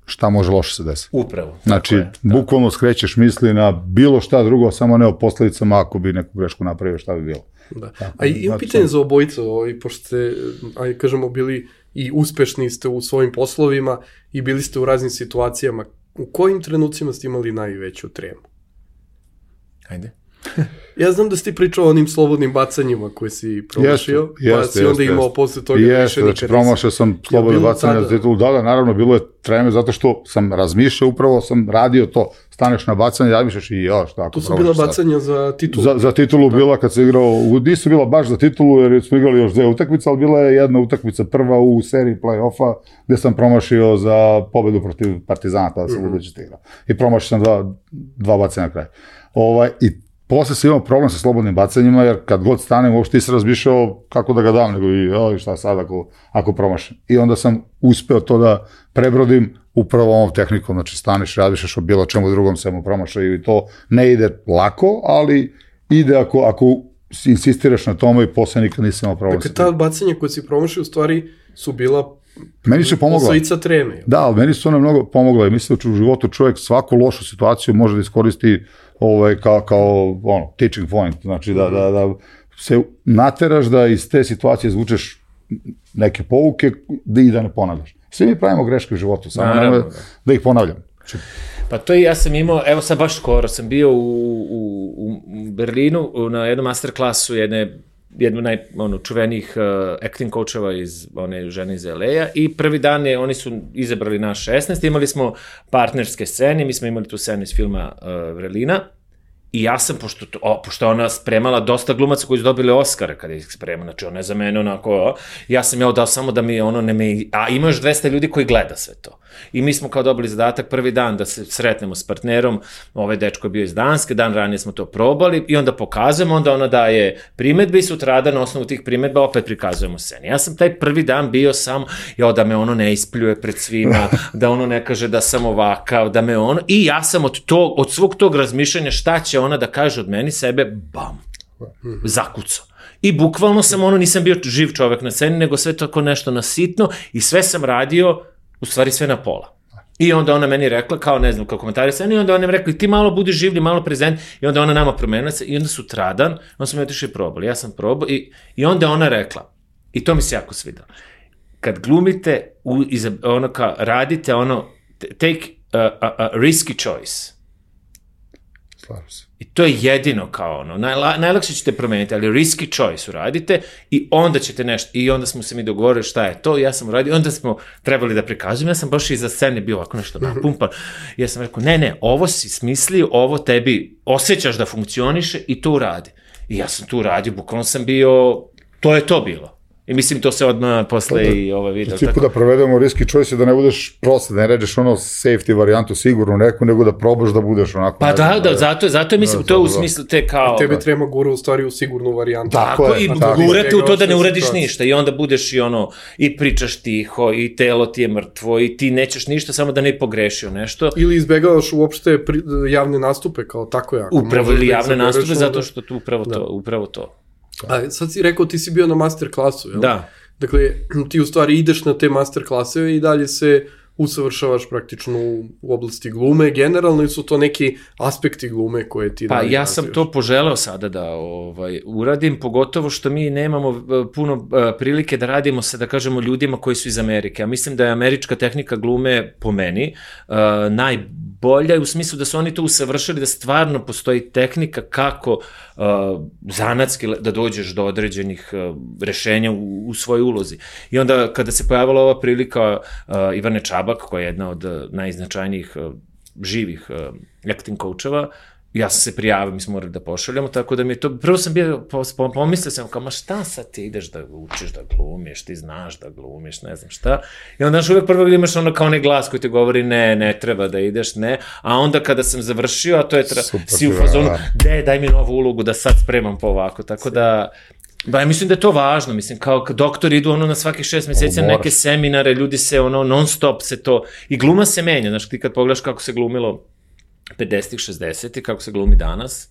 šta može loše se desiti. Upravo. Znači, je, bukvalno skrećeš misli na bilo šta drugo, samo ne o posledicama ako bi neku grešku napravio, šta bi bilo. Da. Tako, a i znači, pitanje za obojicu, ovaj, pošto ste, aj kažemo, bili i uspešni ste u svojim poslovima i bili ste u raznim situacijama. U kojim trenucima ste imali najveću tremu? Ajde. Ja znam da si ti pričao o onim slobodnim bacanjima koje si promašio, jeste, pa si onda jeste, imao jeste. posle toga jeste, više znači, nikad promašao sam slobodne bacanje za titulu, da, da, naravno, bilo je treme zato što sam razmišljao, upravo sam radio to, staneš na bacanje, razmišljaš i jo, šta ako to su bila bacanja za titulu. Za, za titulu bila kad se igrao, nisu bila baš za titulu jer smo igrali još dve utakmice, ali bila je jedna utakmica prva u seriji play-offa gde sam promašio za pobedu protiv Partizana, tada sam mm-hmm. budući igrao. I promašio sam dva, dva bacanja na kraju. Ovaj, i posle sam imao problem sa slobodnim bacanjima, jer kad god stanem, uopšte nisam razmišljao kako da ga dam, nego i oj, šta sad ako, ako promašam. I onda sam uspeo to da prebrodim upravo ovom tehnikom, znači staneš, razmišljaš o bilo čemu drugom, samo promašaju i to ne ide lako, ali ide ako, ako insistiraš na tome i posle nikad nisam imao problem. Dakle, ta bacanja koje si promašio u stvari su bila meni su pomogla. Posledica treme. Da, ali meni su one mnogo pomogla i mislim da u životu čovjek svaku lošu situaciju može da iskoristi ovaj, kao, kao ono, teaching point, znači da, da, da se nateraš da iz te situacije izvučeš neke pouke i da ne ponavljaš. Svi mi pravimo greške u životu, samo Naravno, da. da ih ponavljam. Pa to i ja sam imao, evo sad baš skoro, sam bio u, u, u Berlinu na jednom masterklasu jedne jednu naj, ono, čuvenih uh, acting coacheva iz one žene iz L A-a i prvi dan je, oni su izabrali naš šesnaest, imali smo partnerske scene, mi smo imali tu scenu iz filma uh, Vrelina i ja sam, pošto, o, pošto ona spremala dosta glumaca koji su dobili Oscara kada ih sprema, znači ona je za mene onako, o, ja sam ja dao samo da mi ono ne me, a ima još dvesta ljudi koji gleda sve to. I mi smo kao dobili zadatak prvi dan da se sretnemo s partnerom, ovaj dečko je bio iz Danske, dan ranije smo to probali i onda pokazujemo, onda ona daje primetbe i sutradan na osnovu tih primetba opet prikazujemo sceni. Ja sam taj prvi dan bio samo, jo, da me ono ne ispljuje pred svima, da ono ne kaže da sam ovakav, da me ono, i ja sam od, tog, od svog tog razmišljanja šta će ona da kaže od meni, sebe, bam, zakucao. I bukvalno sam ono, nisam bio živ čovek na sceni, nego sve tako nešto nasitno i sve sam radio, u stvari sve na pola. I onda ona meni rekla, kao ne znam, kao komentari sceni, i onda ona mi rekla, ti malo budi življi, malo prezent, i onda ona nama promenila se, i onda sutradan, onda smo otišli probali, ja sam probao, i, i onda ona rekla, i to mi se jako svidalo, kad glumite, u, iza, ono kao, radite ono, take a, a, a risky choice. Slažem se. I to je jedino kao ono, najla, najlakše ćete promeniti, ali risky choice uradite i onda ćete nešto, i onda smo se mi dogovorili šta je to, ja sam uradio, onda smo trebali da prikazujem, ja sam baš iza scene bio ovako nešto napumpan, ja sam rekao, ne, ne, ovo si smislio, ovo tebi osjećaš da funkcioniše i to uradi. I ja sam to uradio, bukvalno sam bio, to je to bilo. I mislim, to se odmah posle da, i ovo video. Tipu da provedemo risky choice da ne budeš prosto, da ne ređeš ono safety varijantu sigurno neku, nego da probaš da budeš onako. Pa da, da, zato, zato je, mislim, da, to je u smislu te kao... A tebe treba gura u stvari u sigurnu varijantu. Tako, tako je, i gurate u to da ne uradiš ništa i onda budeš i ono, i pričaš tiho, i telo ti je mrtvo, i ti nećeš ništa, samo da ne pogrešio nešto. Ili izbegavaš uopšte pri, javne nastupe, kao tako jako. Upravo ili javne nastupe, zato što tu upravo to, upravo to. A sad si rekao, ti si bio na master klasu, jel? Da. Dakle, ti u stvari ideš na te master klaseve i dalje se usavršavaš praktično u oblasti glume. Generalno su to neki aspekti glume koje ti... Pa ja sam to poželeo sada da ovaj, uradim, pogotovo što mi nemamo puno prilike da radimo sa, da kažemo, ljudima koji su iz Amerike. Ja mislim da je američka tehnika glume po meni uh, najbolja u smislu da su oni to usavršili, da stvarno postoji tehnika kako uh, zanatski da dođeš do određenih uh, rešenja u, u svojoj ulozi. I onda kada se pojavila ova prilika uh, Ivane Čabak, koja je jedna od najznačajnijih uh, živih uh, acting coacheva, ja sam se prijavio, mi smo morali da pošaljamo, tako da mi je to, prvo sam bio, pomislio sam kao, ma šta sad ti ideš da učiš da glumiš, ti znaš da glumiš, ne znam šta, i onda znaš uvek prvo imaš ono kao onaj glas koji ti govori, ne, ne treba da ideš, ne, a onda kada sam završio, a to je, tra... si u fazonu, de, daj mi novu ulogu da sad spremam po ovako, tako da, ba, ja mislim da je to važno, mislim, kao doktori idu ono na svakih šest meseci na neke seminare, ljudi se ono, non stop se to, i gluma se menja, znaš, ti kad pogledaš kako se glumilo pedesetih, šezdesetih, kako se glumi danas.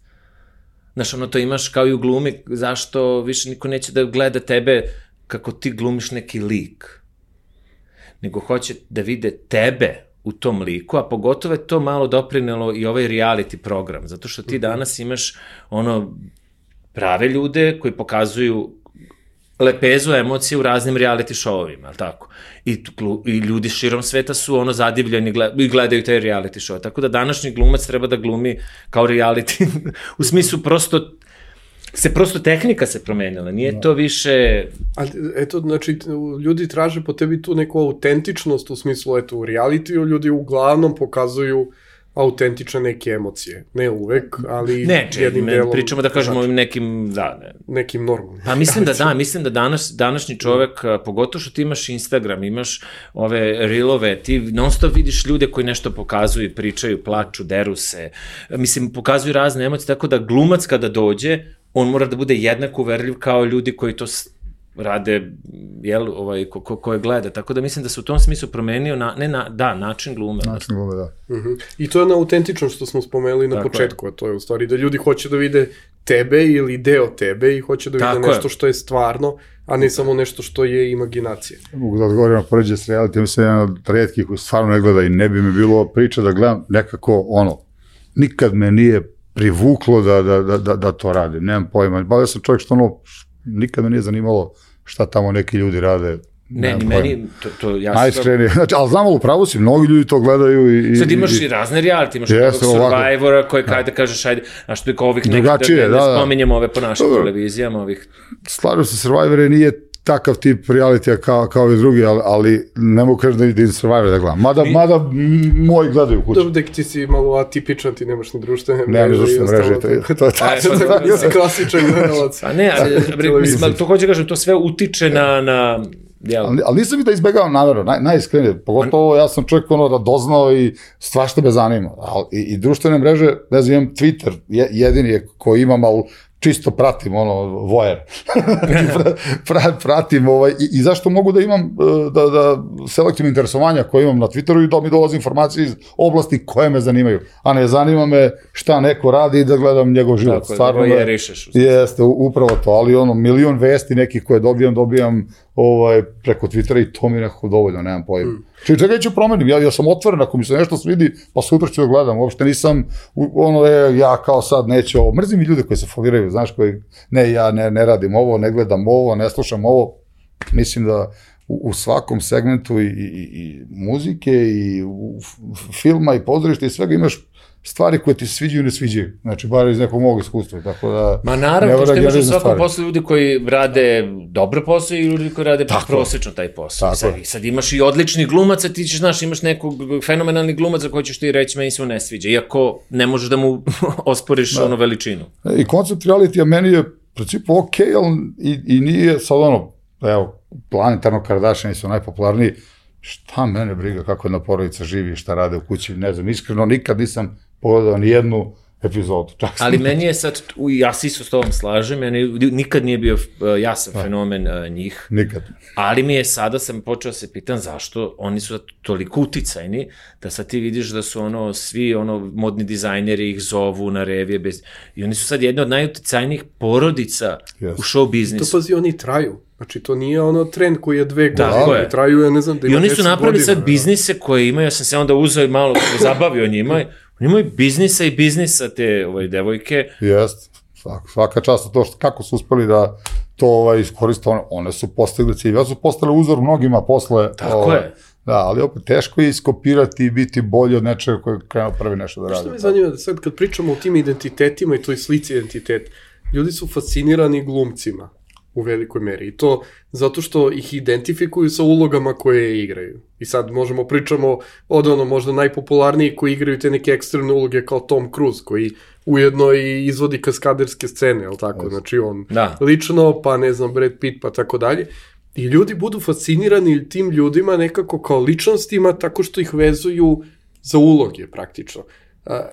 Znaš, ono to imaš kao i u glumi, zašto više niko neće da gleda tebe kako ti glumiš neki lik. Nego hoće da vide tebe u tom liku, a pogotovo je to malo doprinelo i ovaj reality program, zato što ti danas imaš ono prave ljude koji pokazuju lepezu emocije u raznim reality showovima, ali tako? I, I ljudi širom sveta su ono zadivljeni i gledaju te reality show. Tako da današnji glumac treba da glumi kao reality, u smislu prosto, se prosto tehnika se promenila, nije to više... Ali, eto, znači, ljudi traže po tebi tu neku autentičnost, u smislu, eto, u realitiju ljudi uglavnom pokazuju autentične neke emocije. Ne uvek, ali ne, jednim ne, delom... pričamo da kažemo ovim nekim, da, ne. Nekim normalnim. Pa mislim da da, mislim da danas, današnji čovek, pogotovo što ti imaš Instagram, imaš ove reelove, ti non stop vidiš ljude koji nešto pokazuju, pričaju, plaču, deru se, mislim, pokazuju razne emocije, tako da glumac kada dođe, on mora da bude jednako uverljiv kao ljudi koji to rade, jel, ovaj, ko, ko, koje gleda. Tako da mislim da se u tom smislu promenio, na, ne na, da, način glume. Način glume, da. Uh-huh. I to je na autentično što smo spomenuli na tako početku, je. A to je u stvari da ljudi hoće da vide tebe ili deo tebe i hoće da vide tako nešto je. Što je stvarno, a ne samo nešto što je imaginacija. Mogu da odgovorim na poređe s reality, mislim jedan od rijetkih koji stvarno ne gleda i ne bi mi bilo priča da gledam nekako ono, nikad me nije privuklo da, da, da, da, da to radi, nemam pojma. Bavio sam čovjek što ono, nikad me nije zanimalo šta tamo neki ljudi rade. Ne, ni meni, to, to ja sam... Najskrenije, znači, ali znam, u pravu si, mnogi ljudi to gledaju i... Sad imaš i, i razne reality, imaš yes, ovog Survivora koji kada kažeš, ajde, a što je kao ovih nekih, da, da, da, da spominjemo ove po našim dobro. Televizijama, ovih... Slažem se, Survivor nije takav tip realitija kao, kao i drugi, ali, ali ne mogu kažem da idem Survivor da gledam. Mada, Mi... mada moji gledaju kući. Dobro, dek ti si malo atipičan, ti nemaš ni društvene mreže. Nemam ni društvene mreže, to je, to je tačno. Ti si klasičan gledalac. A ne, ali, mislim, to hoće kažem, to sve utiče na... na ali, ali nisam i da izbegavam namjerno, naj, najiskrenije, pogotovo ja sam čovjek ono radoznao i svašta me zanima. Ali, i, i društvene mreže, ne znam, imam Twitter, je, jedini je koji imam, ali čisto pratim, ono, vojer. pra, pratim, ovaj, i, i zašto mogu da imam, da, da selektivno interesovanja koje imam na Twitteru i da mi dolazi informacije iz oblasti koje me zanimaju, a ne zanima me šta neko radi i da gledam njegov život. Tako, stvarno je, rišeš. Jeste, upravo to, ali ono, milion vesti nekih koje dobijam, dobijam ovaj, preko Twittera i to mi je nekako dovoljno, nemam pojma. Mm. Či čekaj ću promenim, ja, ja sam otvoren, ako mi se nešto svidi, pa sutra ću da gledam, uopšte nisam, ono, e, ja kao sad neću ovo, mrzim i ljude koji se foliraju, znaš, koji, ne, ja ne, ne radim ovo, ne gledam ovo, ne slušam ovo, mislim da u, u svakom segmentu i, i, i muzike i u filma i pozorišta i svega imaš stvari koje ti se sviđaju i ne sviđaju. Znači, bar iz nekog mog iskustva, tako da... Ma naravno, to što imaš u svakom poslu ljudi koji rade dobro posao i ljudi koji rade prosečno taj posao. Sad, sad imaš i odlični glumaca, ti ćeš, znaš, imaš nekog fenomenalni glumaca koji ćeš ti reći, meni se mu ne sviđa, iako ne možeš da mu osporiš da. Ono veličinu. I koncept realitija meni je, u principu, ok, ali i, i nije sad ono, evo, planetarno Kardashiani su najpopularniji, šta mene briga kako jedna porodica živi, šta rade u kući, ne znam, iskreno nikad nisam pogledao ni jednu epizodu. Čak ali meni je sad, ja se isto s tobom slažem, meni nikad nije bio jasan da. Fenomen uh, njih. Nikad. Ali mi je sada, sam počeo se pitan zašto oni su toliko uticajni, da sad ti vidiš da su ono, svi ono, modni dizajneri ih zovu na revije, bez... i oni su sad jedne od najuticajnijih porodica yes. u show biznisu. To pazi, oni traju. Znači, to nije ono trend koji je dve godine, traju je, ne znam, da ima i oni su napravili sad biznise koje imaju, ja sam se onda uzeo i malo zabavio njima, oni imaju biznisa i biznisa te ovaj, devojke. Jest, svaka, svaka čast to što, kako su uspeli da to ovaj, iskoriste, one, one su postigli cilj, ja su postale uzor mnogima posle. Tako ovaj, je. Da, ali opet teško je iskopirati i biti bolji od nečega koji je krenuo prvi nešto da radi. Što me zanima da sad kad pričamo o tim identitetima i toj slici identitet, ljudi su fascinirani glumcima u velikoj meri. I to zato što ih identifikuju sa ulogama koje igraju. I sad možemo pričamo od ono možda najpopularniji koji igraju te neke ekstremne uloge kao Tom Cruise, koji ujedno i izvodi kaskaderske scene, jel tako? Yes. Znači on da. Lično, pa ne znam, Brad Pitt, pa tako dalje. I ljudi budu fascinirani tim ljudima nekako kao ličnostima tako što ih vezuju za uloge praktično. A,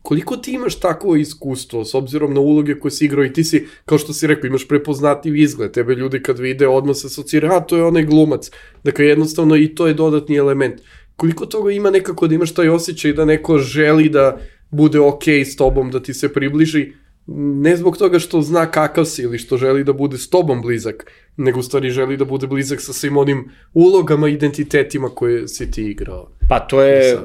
koliko ti imaš takvo iskustvo s obzirom na uloge koje si igrao i ti si, kao što si rekao, imaš prepoznatljiv izgled, tebe ljudi kad vide odmah se asocira, a to je onaj glumac, dakle jednostavno i to je dodatni element. Koliko toga ima nekako da imaš taj osjećaj da neko želi da bude okej s tobom, da ti se približi, ne zbog toga što zna kakav si ili što želi da bude s tobom blizak, nego u stvari želi da bude blizak sa svim onim ulogama, identitetima koje si ti igrao. Pa to je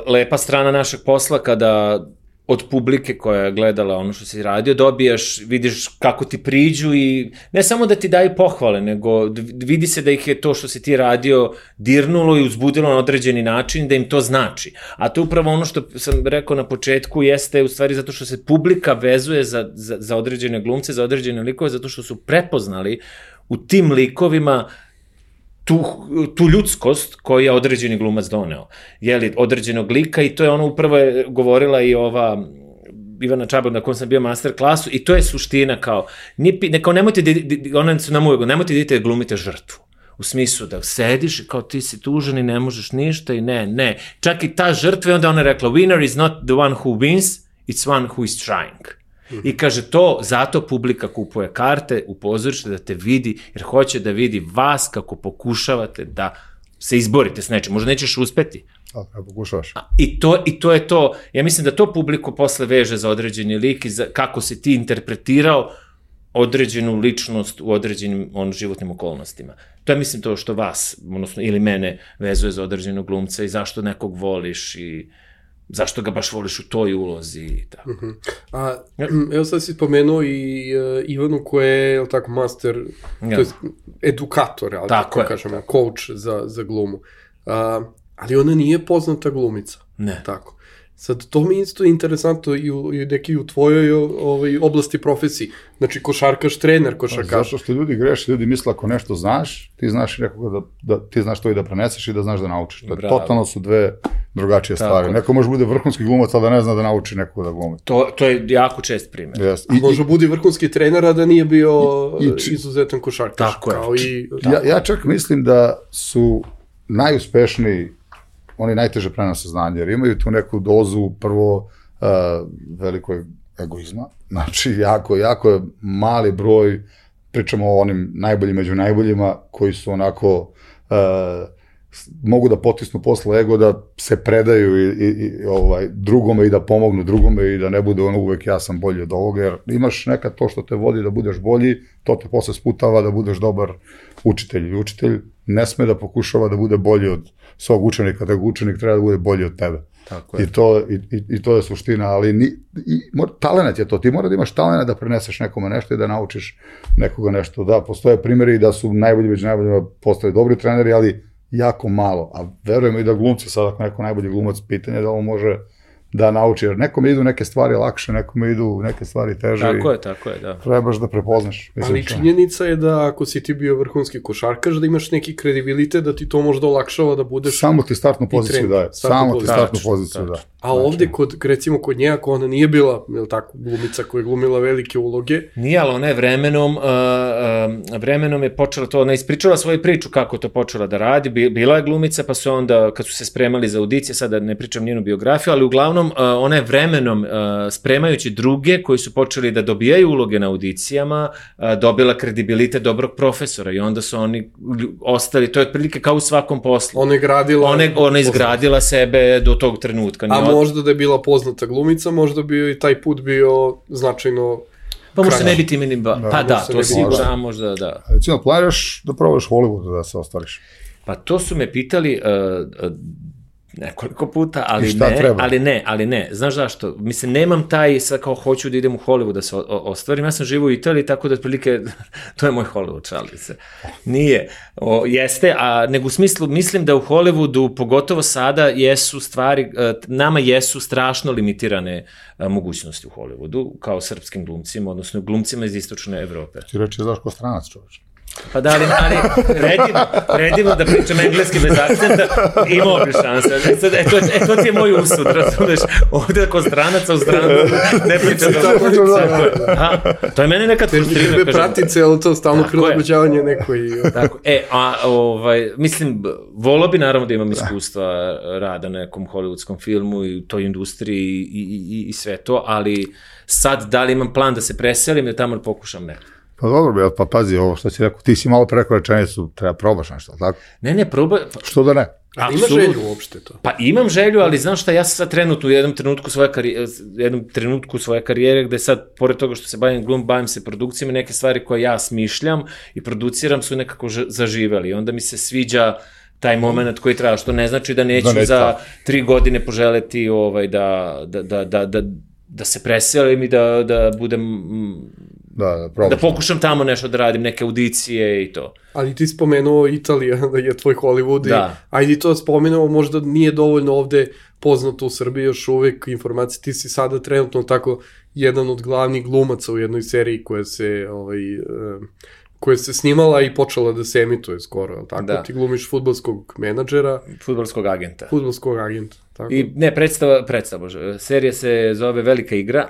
lepa strana našeg posla kada od publike koja je gledala ono što si radio, dobijaš, vidiš kako ti priđu i ne samo da ti daju pohvale, nego vidi se da ih je to što si ti radio dirnulo i uzbudilo na određeni način, da im to znači. A to je upravo ono što sam rekao na početku, jeste u stvari zato što se publika vezuje za, za, za određene glumce, za određene likove, zato što su prepoznali u tim likovima Tu, tu ljudskost koju je određeni glumac doneo, jeli, određenog lika i to je ono upravo je govorila i ova Ivana Čabar na kom sam bio master klasu i to je suština kao, nije, kao nemojte, ona su nam uvijek, nemojte da idete glumite žrtvu. U smislu da sediš i kao ti si tužan i ne možeš ništa i ne, ne. Čak i ta žrtva i onda ona rekla, winner is not the one who wins, it's one who is trying. I kaže to, zato publika kupuje karte u pozorište da te vidi, jer hoće da vidi vas kako pokušavate da se izborite s nečim. Možda nećeš uspeti. A, pokušavaš. I to, I to je to, ja mislim da to publiku posle veže za određeni lik i za kako si ti interpretirao određenu ličnost u određenim on, životnim okolnostima. To je, mislim, to što vas, odnosno, ili mene vezuje za određenog glumca i zašto nekog voliš i zašto ga baš voliš u toj ulozi i tako. Uh-huh. A, evo sad si spomenuo i uh, Ivanu koja je, je tako, master, ja. To je edukator, ali tako, tako kažem, coach za, za glumu. Uh, ali ona nije poznata glumica. Ne. Tako. Sad, to mi isto interesantno i u, i neki u tvojoj ovaj, oblasti profesiji. Znači, košarkaš, trener košarkaš. Zato što ljudi greše, ljudi misle ako nešto znaš, ti znaš nekoga da, da ti znaš to i da preneseš i da znaš da naučiš. To je, totalno su dve drugačije stvari. Tako. Neko može bude vrhunski glumac, ali da ne zna da nauči nekoga da glumi. To, to je jako čest primjer. Yes. I, može budi vrhunski trener, a da nije bio i, i, izuzetan košarkaš. Tako je. Kao i, ja, ja čak mislim da su najuspešniji oni najteže prenose znanje, jer imaju tu neku dozu prvo uh, velikog egoizma, znači jako, jako je mali broj, pričamo o onim najboljim među najboljima, koji su onako, uh, mogu da potisnu posle ego, da se predaju i, i, i ovaj, drugome i da pomognu drugome i da ne bude ono uvek ja sam bolji od ovoga, jer imaš nekad to što te vodi da budeš bolji, to te posle sputava da budeš dobar učitelj. I učitelj ne sme da pokušava da bude bolji od svog učenika, da učenik treba da bude bolji od tebe. Tako je. I to, i, i, i to je suština, ali ni, i, mora, talent je to, ti mora da imaš talent da preneseš nekome nešto i da naučiš nekoga nešto. Da, postoje primjeri da su najbolji među najboljima postali dobri treneri, ali jako malo, a verujem i da glumci sad ako neko najbolji glumac, pitanje da on može da nauči, jer nekome idu neke stvari lakše, nekome idu neke stvari teže. Tako je, tako je, da. Trebaš da prepoznaš. Mislim, ali činjenica je da ako si ti bio vrhunski košarkaš, da imaš neki kredibilitet, da ti to možda olakšava da budeš... Samo ti startnu poziciju daje. Samo ti startnu poziciju daje. A ovde, kod, recimo kod nje, ako ona nije bila, je tako, glumica koja je glumila velike uloge... Nije, ali ona je vremenom, uh, uh, vremenom je počela to, ona ispričala svoju priču kako je to počela da radi, bila je glumica, pa su onda, kad su se spremali za audicije, sada ne pričam njenu biografiju, ali uglavnom uh, ona je vremenom, uh, spremajući druge koji su počeli da dobijaju uloge na audicijama, uh, dobila kredibilitet dobrog profesora i onda su oni ostali, to je otprilike kao u svakom poslu. Ona je gradila... Ona, ona je izgradila sebe do tog trenutka. A možda da je bila poznata glumica, možda bi i taj put bio značajno... Pa možda ne biti imenim... Ba... Da, pa da, to sigurno, možda da. Recimo, planiraš da probaš Hollywoodu da se ostvariš? Pa to su me pitali uh, uh, nekoliko puta, ali ne, treba? ali ne, ali ne. Znaš zašto? Mislim, nemam taj, sad kao hoću da idem u Hollywood da se o, o, ostvarim. Ja sam živo u Italiji, tako da otprilike, to je moj Hollywood, šalim se. Nije. O, jeste, a nego u smislu, mislim da u Hollywoodu, pogotovo sada, jesu stvari, nama jesu strašno limitirane a, mogućnosti u Hollywoodu, kao srpskim glumcima, odnosno glumcima iz istočne Evrope. Ti reći, znaš ko stranac, čovječ. Pa da, ali, ali predivno, predivno da pričam engleski bez akcenta, imao bi šanse. E, sad, e, to, e, to ti je moj usud, razumeš, ovdje ako stranaca u stranu ne pričam da... To je mene nekad frustrivno. Tebe pratice, ali to stalno prilagođavanje neko i... Tako, e, a, ovaj, mislim, volao bi naravno da imam iskustva rada na nekom hollywoodskom filmu i toj industriji i, i, i sve to, ali sad da li imam plan da se preselim, da tamo pokušam ne. Pa dobro, pa pazi, ovo što si rekao, ti si malo preko rečenicu, treba probaš nešto, tako? Ne, ne, probaj... Što da ne? A ima želju uopšte to? Pa imam želju, ali znam šta, ja sam sad trenutno u jednom trenutku svoje karijere, jednom trenutku svoje karijere, gde sad, pored toga što se bavim glum, bavim se produkcijama, neke stvari koje ja smišljam i produciram su nekako zaživeli. Onda mi se sviđa taj moment koji treba, što ne znači da neću da ne za tri godine poželeti ovaj, da, da, da, da, da da se preselim i da, da budem, da, da, da pokušam tamo nešto da radim, neke audicije i to. Ali ti spomenuo Italija, da je tvoj Hollywood, da. I, ajde to spomenuo, možda nije dovoljno ovde poznato u Srbiji još uvek informacije, ti si sada trenutno tako jedan od glavnih glumaca u jednoj seriji koja se, ovaj, koja se snimala i počela da se emituje skoro, tako? Da. Ti glumiš fudbalskog menadžera. Fudbalskog agenta. Fudbalskog agenta, tako. I ne, predstava, predstava, bože, serija se zove Velika igra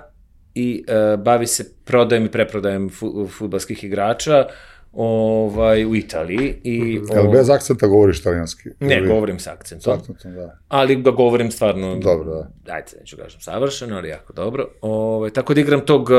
i uh, bavi se prodajem i preprodajem fu, fudbalskih igrača ovaj, u Italiji. I, mm-hmm. Jel bez akcenta govoriš italijanski? Ne, ili... govorim sa akcentom. Akcentom, da. Ali ga govorim stvarno... Dobro, da. Ajde, neću kažem savršeno, ali jako dobro. Ovaj, tako da igram tog uh,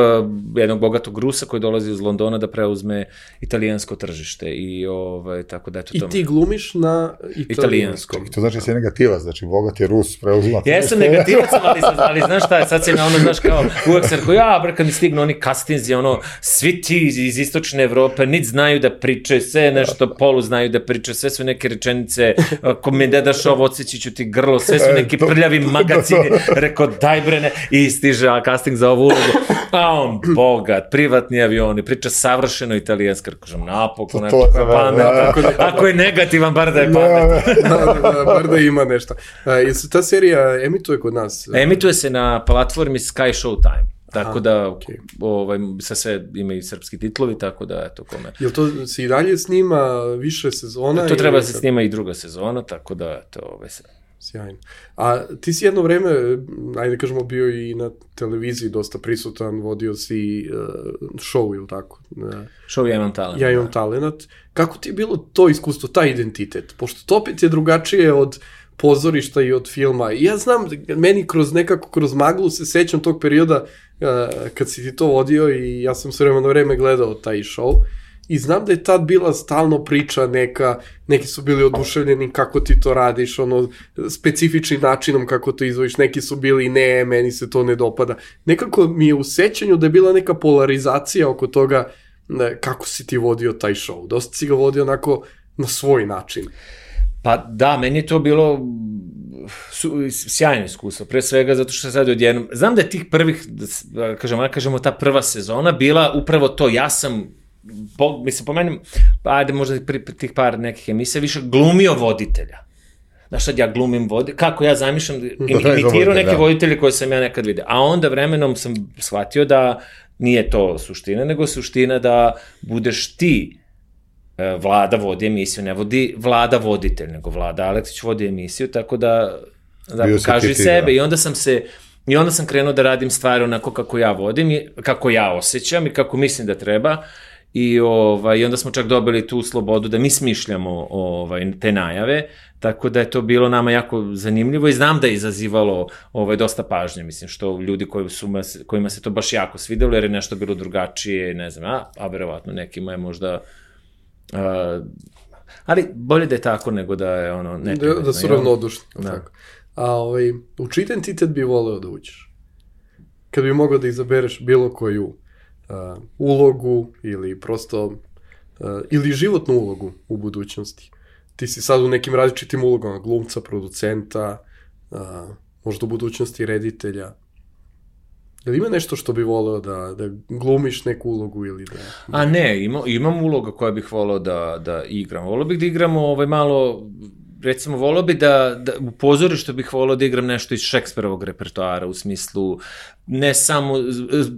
jednog bogatog Rusa koji dolazi iz Londona da preuzme italijansko tržište. I ovaj, tako da eto I tome. ti glumiš na italijanskom. I to znači si negativac, znači bogati Rus preuzima. Jesam negativac, ali, ali znaš šta, sad se na ono, znaš kao, uvek se rekao, ja, bre, kad mi stignu oni castinzi, ono, svi ti iz, iz istočne Evrope, nit znaju da pričaju, sve nešto polu znaju da pričaju, sve su neke rečenice, ako mi ne daš ovo, odsjeći ću ti grlo, sve su neki prljavi magacini, rekao, daj bre, ne, i stiže casting za ovu ulogu, a on, bogat, privatni avioni, priča savršeno italijanski, kažem, napokon, nekako pamet, ako je negativan, bar da je pamet. Bar da ima nešto. Jel se ta serija emituje kod nas? Emituje se na platformi Sky Showtime. Tako Aha, da, okay. ovaj, sa sve ima i srpski titlovi, tako da, eto, kome. Jel to se i dalje snima više sezona? To treba se snima i druga sezona, tako da, eto, ovaj se... Sjajno. A ti si jedno vreme, ajde kažemo, bio i na televiziji dosta prisutan, vodio si uh, show, ili tako? Uh, show Ja imam talent. Ja imam da. talent. Kako ti je bilo to iskustvo, taj identitet? Pošto to opet je drugačije od pozorišta i od filma. I ja znam, meni kroz nekako, kroz maglu se sećam tog perioda uh, kad si ti to vodio i ja sam sve vreme na vreme gledao taj show i znam da je tad bila stalno priča neka, neki su bili oduševljeni kako ti to radiš, ono, specifičnim načinom kako to izvojiš, neki su bili ne, meni se to ne dopada. Nekako mi je u sećanju da je bila neka polarizacija oko toga ne, kako si ti vodio taj show. Dosta si ga vodio onako na svoj način. Pa da, meni je to bilo su, sjajno iskustvo, pre svega zato što sad odjednom, znam da je tih prvih, da kažemo, kažemo ta prva sezona bila upravo to, ja sam, po, mislim, po meni, ajde možda pri, pri tih par nekih emisija, više glumio voditelja. Znaš, sad ja glumim voditelja, kako ja zamišljam, imitirao neke voditelje koje sam ja nekad vidio, a onda vremenom sam shvatio da nije to suština, nego suština da budeš ti Vlada vodi emisiju, ne vodi Vlada voditelj, nego Vlada Aleksić vodi emisiju, tako da, da pokaži sebe. Da. I onda sam se, i onda sam krenuo da radim stvari onako kako ja vodim, i, kako ja osjećam i kako mislim da treba. I, ovaj, i onda smo čak dobili tu slobodu da mi smišljamo ovaj, te najave, tako da je to bilo nama jako zanimljivo i znam da je izazivalo ovaj, dosta pažnje, mislim, što ljudi koji su, kojima se to baš jako svidelo, jer je nešto bilo drugačije, ne znam, a, a verovatno nekima je možda... Uh, ali bolje da je tako nego da je ono ne da, da su ravnodušni tako. A ovaj u čiji identitet bi voleo da uđeš kad bi mogao da izabereš bilo koju uh, ulogu ili prosto uh, ili životnu ulogu u budućnosti? Ti si sad u nekim različitim ulogama, glumca, producenta, uh, možda u budućnosti reditelja. Da li ima nešto što bi voleo da, da glumiš neku ulogu ili da... A ne, ima, imam uloga koja bih voleo da, da igram. Voleo bih da igram ovaj malo, recimo, voleo bih da, da u pozorištu bih voleo da igram nešto iz Šekspirovog repertoara, u smislu ne samo,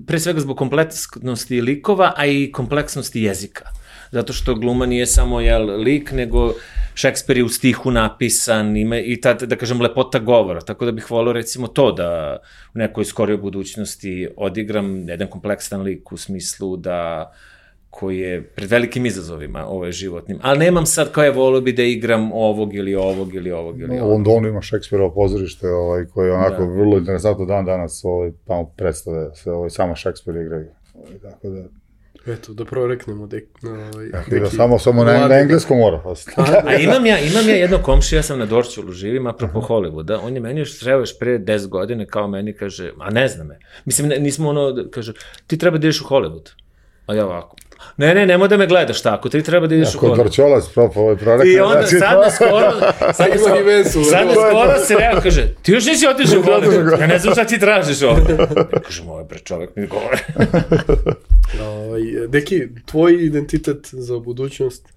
pre svega zbog kompleksnosti likova, a i kompleksnosti jezika. Zato što gluma nije samo jel, lik, nego Šekspir je u stihu napisan, ima i ta, da kažem, lepota govora, tako da bih volio recimo to da u nekoj skorijoj budućnosti odigram jedan kompleksan lik u smislu da koji je pred velikim izazovima ovaj, životnim, ali nemam sad kao je volio bi da igram ovog ili ovog ili ovog ili ovog. U Londonu ima Šekspirovo pozorište ovaj, koje je onako da. Vrlo interesantno dan danas ovaj, tamo predstave se ovaj, samo Šekspir igraju, ovaj, tako da... Eto, da proreknemo dek, ovaj, neki... Da, samo samo na, na engleskom mora. A imam ja, imam ja jedno komšiju, ja sam na Dorćolu živim, apropo Hollywooda, on je meni još trebao još pre deset godine, kao meni kaže, a ne zna me. Mislim, ne, nismo ono, kaže, ti treba da ideš u Hollywood. A ja ovako, Ne, ne, nemoj da me gledaš tako, ti treba da ideš u Kod koru. Vrčolac, propo, ovaj prorekao. I onda sad na skoro, sad na skoro, sad na skoro se rekao, kaže, ti još nisi otišao u koru, ja ne znam šta ti tražiš ovdje. Ja kažem, ovo je bre čovjek mi govore. Deki, tvoj identitet za budućnost?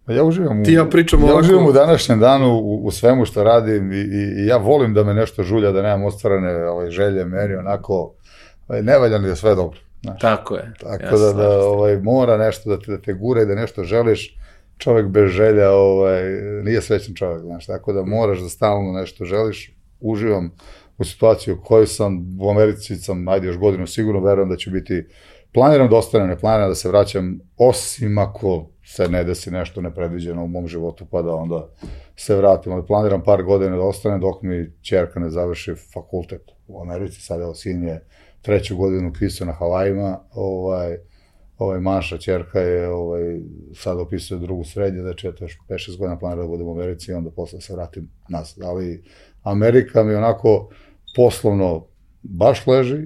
Ja uživam u, Ti ja pričam ja ovako... uživam u današnjem danu u, u svemu što radim i, i, i ja volim da me nešto žulja, da nemam ostvarene ovaj, želje, meri, onako, ovaj, nevaljano je sve dobro. Znaš. Tako je. Tako ja da, da ovaj, mora nešto da te, da te gura i da nešto želiš, čovjek bez želja ovaj, nije srećan čovjek, znaš, tako da moraš da stalno nešto želiš, uživam u situaciji u kojoj sam, u Americi sam, ajde još godinu sigurno, verujem da ću biti, planiram da ostanem, ne planiram da se vraćam, osim ako se ne desi nešto nepredviđeno u mom životu, pa da onda se vratim, ali planiram par godina da ostanem dok mi ćerka ne završi fakultet u Americi, sad evo sin je treću godinu upisao na Havajima, ovaj, ovaj Maša, ćerka je ovaj, sad upisao drugu srednje, znači eto još pet šest godina planiram da budem u Americi i onda posle se vratim nazad, ali Amerika mi onako poslovno baš leži,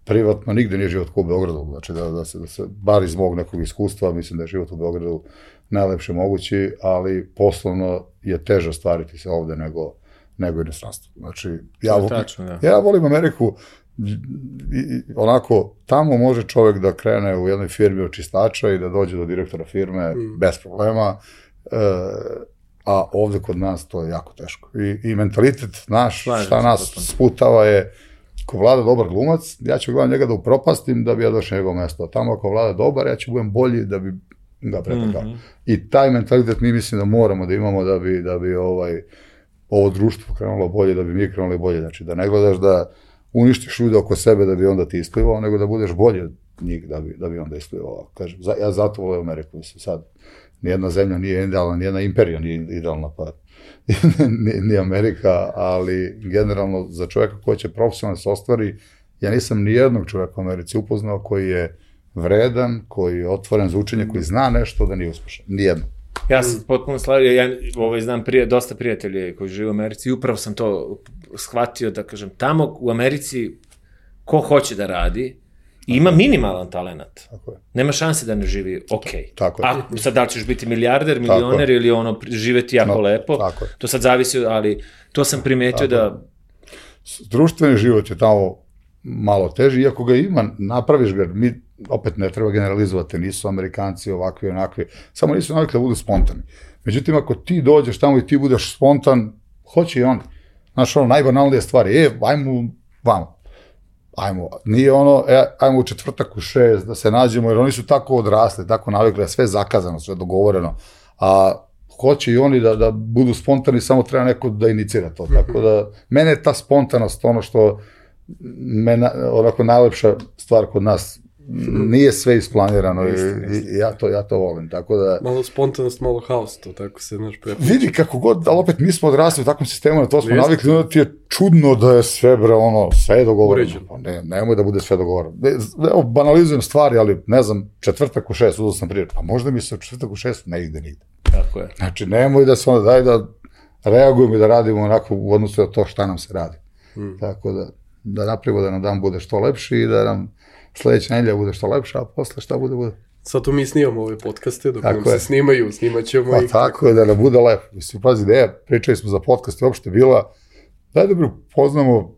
privatno nigde nije život kao u Beogradu, znači da, da, se, da se, bar iz mog nekog iskustva, mislim da je život u Beogradu najlepše mogući, ali poslovno je teže stvariti se ovde nego, nego inostranstvo. Znači, ja, tačno, ja. ja volim Ameriku, i, onako, tamo može čovjek da krene u jednoj firmi od čistača i da dođe do direktora firme mm. bez problema, e, a ovde kod nas to je jako teško. I, i mentalitet naš, Slažem šta nas potpuno. Sputava je, ako vlada dobar glumac, ja ću gledam njega da upropastim da bi ja došao na njegovo mesto. Tamo ako vlada dobar, ja ću budem bolji da bi ga pretekao. Mm-hmm. I taj mentalitet mi mislim da moramo da imamo da bi, da bi ovaj, ovo društvo krenulo bolje, da bi mi krenuli bolje. Znači da ne gledaš da uništiš ljude oko sebe da bi onda ti isplivao, nego da budeš bolje od njih da bi, da bi onda isplivao. Kažem, ja zato volim Ameriku, mislim sad. Nijedna zemlja nije idealna, nijedna imperija nije idealna, pa ni, ni Amerika, ali generalno za čovjeka koji će profesionalno se ostvari, ja nisam nijednog čovjeka u Americi upoznao koji je vredan, koji je otvoren za učenje, koji zna nešto da nije uspešan. Nijedno. Ja sam potpuno slavio, ja ovaj, znam prije, dosta prijatelja koji žive u Americi i upravo sam to shvatio da kažem, tamo u Americi ko hoće da radi, ima minimalan talenat. Tako je. Nema šanse da ne živi okej. Tako je. A sad da li ćeš biti milijarder, milioner ili ono, živeti jako no, lepo, tako je. To sad zavisi, ali to sam primetio tako da... Društveni život je tamo malo teži, iako ga ima, napraviš ga, mi opet ne treba generalizovati, nisu Amerikanci ovakvi, onakvi, samo nisu navikli da budu spontani. Međutim, ako ti dođeš tamo i ti budeš spontan, hoće i oni. Znaš, ono, najbanalnije stvari, e, ajmo vamo. Ajmo, nije ono, e, ajmo u četvrtak u šest da se nađemo, jer oni su tako odrasli, tako navikli, sve zakazano, sve dogovoreno, a hoće i oni da, da budu spontani, samo treba neko da inicira to, tako da, mene je ta spontanost ono što me, onako, najlepša stvar kod nas, nije sve isplanirano i, i ja, to, ja to volim, tako da... Malo spontanost, malo haos, to tako se naš prepoći. Vidi kako god, ali opet mi smo odrasli u takvom sistemu, na to smo navikli, onda ti je čudno da je sve, bre, ono, sve je dogovoreno. Pa ne, nemoj da bude sve dogovoreno. Evo, banalizujem stvari, ali ne znam, četvrtak u šest, uzao sam prije, pa možda mi se četvrtak u šest ne ide nigde. Tako je. Znači, nemoj da se onda, daj da reagujemo i da radimo onako u odnosu na to šta nam se radi. Hmm. Tako da, da napravimo da nam dan bude što lepši i da nam sledeća nedelja bude što lepša, a posle šta bude, bude. Sad tu mi snimamo ove podcaste, dok nam se snimaju, snimat ćemo pa i... Pa tako je, da nam bude lepo. Mislim, pazi, ideja, pričali smo za podcast i uopšte bila, daj da poznamo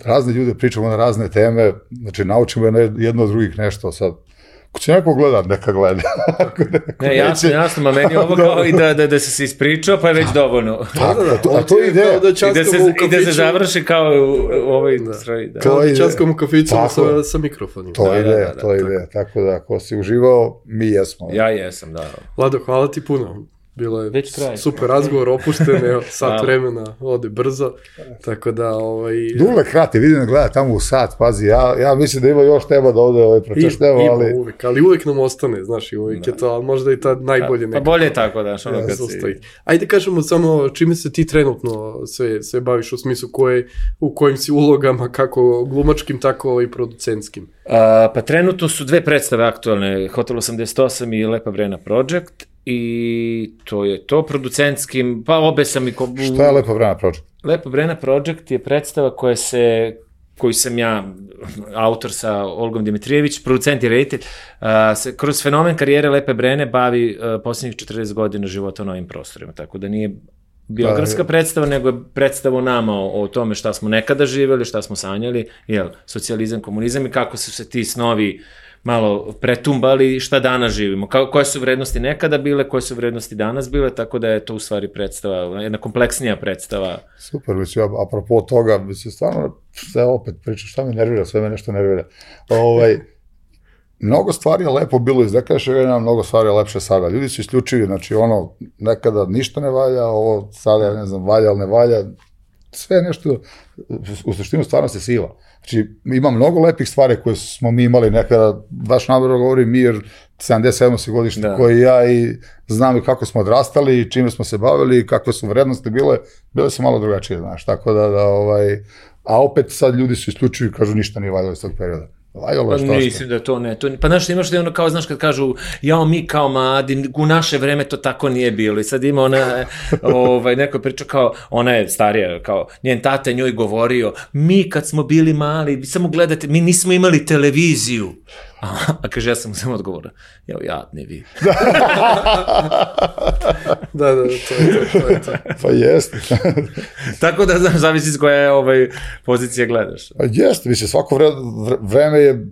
razne ljude, pričamo na razne teme, znači naučimo jedno od drugih nešto sad. Ako će neko gledat, neka gleda. Ne, jasno, jasno, ma meni ovo kao i da, da, da se se ispričao, pa je već dovoljno. Tako, da, to, a to je ideja. Da I, da se, I da se završi kao u ovoj stroj. Da. Kao časkom u kaficama sa, sa mikrofonima. To je ideja, to je ideja. Tako da, ako si uživao, mi jesmo. Ja jesam, da. Vlado, hvala ti puno. Bilo je super razgovor, opušten, evo, sat vremena, ode brzo, tako da, ovaj... Dule krati, vidim da gleda tamo u sat, pazi, ja, ja mislim da ima još tema da ovde ovaj pročešteva, ali... Ima uvek, ali uvek nam ostane, znaš, i uvek da. Je to, ali možda i ta najbolje nekako. Pa bolje je tako, daš, ono kad si... Ajde kažemo samo čime se ti trenutno sve, sve baviš, u smislu koje, u kojim si ulogama, kako glumačkim, tako i producentskim. A, pa trenutno su dve predstave aktualne, Hotel osamdeset osam i Lepa Brena Project, i to je to producentskim, pa obe sam i... Ko... Šta je Lepa Brena Project? Lepa Brena Project je predstava koja se koji sam ja, autor sa Olgom Dimitrijević, producent i reditelj, se kroz fenomen karijere Lepe Brene bavi posljednjih četrdeset godina života na ovim prostorima, tako da nije biografska predstava, nego je predstava nama o, o tome šta smo nekada živjeli, šta smo sanjali, jel, socijalizam, komunizam i kako su se ti snovi malo pretumbali, šta danas živimo, Ka, koje su vrednosti nekada bile, koje su vrednosti danas bile, tako da je to u stvari predstava, jedna kompleksnija predstava. Super, mislim, apropo toga, mislim, stvarno, sve opet pričam, šta me nervira, sve me nešto nervira. Ovaj, mnogo stvari je lepo bilo iz nekadašnjeg vremena, mnogo stvari je lepše sada. Ljudi su isključivi, znači ono, nekada ništa ne valja, ovo sada, ne znam, valja, ali ne valja, sve nešto, u suštinu stvarno se siva. Znači, ima mnogo lepih stvari koje smo mi imali nekada, baš namjerno govorim mi, jer sedamdeset sedam godište da. Koji ja i znam i kako smo odrastali, i čime smo se bavili, i kakve su vrednosti bile, bile su malo drugačije, znaš, tako da, da ovaj, a opet sad ljudi su isključivi, kažu ništa nije valjalo iz tog perioda. Pa mislim da to ne, to, pa znaš, imaš da je ono kao, znaš, kad kažu, jao, mi kao mladi, u naše vreme to tako nije bilo, i sad ima ona, ovaj, neko priča kao, ona je starija, kao, njen tata njoj govorio, mi kad smo bili mali, vi samo gledate, mi nismo imali televiziju, a, a kaže, ja sam mu samo odgovorio, jao, jadni vi. Da, da, to je to, to je to. Pa jeste. Tako da, znaš, zavisi s koje ovaj, pozicije gledaš. Pa jeste, mislim, svako vre, vreme je,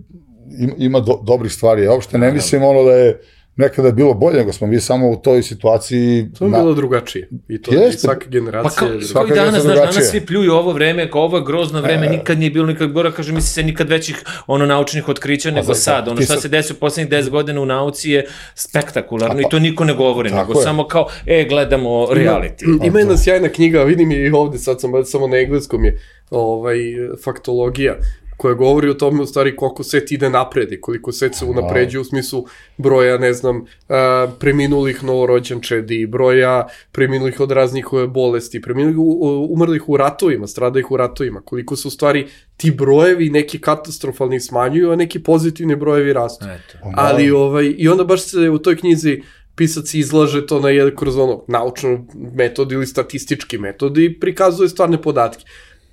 ima do, dobrih stvari, ja uopšte ne mislim ono da je nekada je bilo bolje, nego smo mi samo u toj situaciji... To je na... bilo drugačije. I to je svaka generacija... Pa kao, svaka i danas, znaš, danas svi pljuju ovo vreme, kao ovo je grozno vreme, e, nikad nije bilo, nikad gora, kaže, misli se nikad većih ono naučnih otkrića nego sad. Ono šta se desi u poslednjih deset godina u nauci je spektakularno i to niko ne govori, nego je. Samo kao, e, gledamo reality. Ima, ima jedna sjajna knjiga, vidim i ovde, sad sam samo na engleskom je, ovaj, faktologija, koja govori o tome u stvari koliko svet ide napred i koliko svet se unapređuje u smislu broja, ne znam, uh, preminulih novorođenčedi, broja preminulih od raznih bolesti, preminulih u, umrlih u ratovima, stradajih u ratovima, koliko su u stvari ti brojevi neki katastrofalni smanjuju, a neki pozitivni brojevi rastu. Eto. Ali, ovaj, i onda baš se u toj knjizi pisac izlaže to na jedan kroz ono naučnu metodu ili statistički metod i prikazuje stvarne podatke.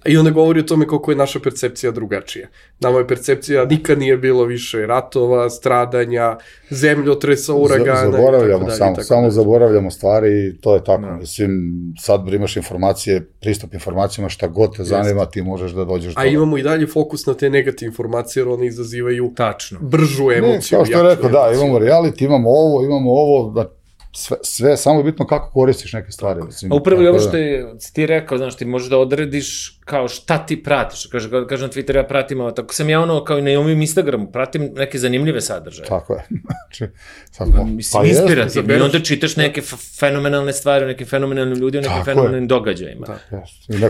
I onda govori o tome koliko je naša percepcija drugačija. Nama je percepcija, nikad nije bilo više ratova, stradanja, zemljotresa, uragana. Zaboravljamo, samo, samo zaboravljamo stvari i to je tako. No. Mislim, sad imaš informacije, pristup informacijama, šta god te zanima, ti možeš da dođeš do... A imamo i dalje fokus na te negativne informacije, jer one izazivaju tačno bržu emociju. Ne, kao što je rekao, da, imamo reality, imamo ovo, imamo ovo, da Sve, sve, samo je bitno kako koristiš neke stvari. Mislim, a upravo je ovo što je, ti rekao, znaš, ti možeš da odrediš kao šta ti pratiš. Kaže, kaže na Twitteru, ja pratim ovo, tako sam ja ono, kao i na ovim Instagramu, pratim neke zanimljive sadržaje. Tako je. Znači, sad, mislim, pa inspirativno. I onda čitaš neke fenomenalne stvari, neke fenomenalne ljudi, neke fenomenalnim događajima.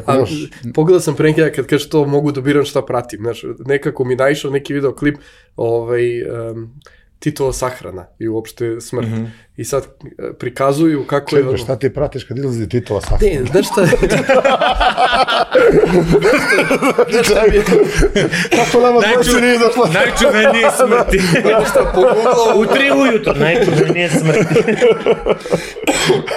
A, još... Pogledao sam pre nekada kad kaže to mogu da biram šta pratim. Znaš, nekako mi naišao neki videoklip, ovaj... Um, Titova sahrana i uopšte smrt. Mm-hmm. I sad prikazuju kako Čekaj, je... Ono... šta ti pratiš kad izlazi Titova sahrana? Ne, znaš šta... znaš šta mi je... Kako nama dvojice nije došla? Najčuvenije smrti. Znaš šta, pogooglao... U tri ujutro, najčuvenije smrti.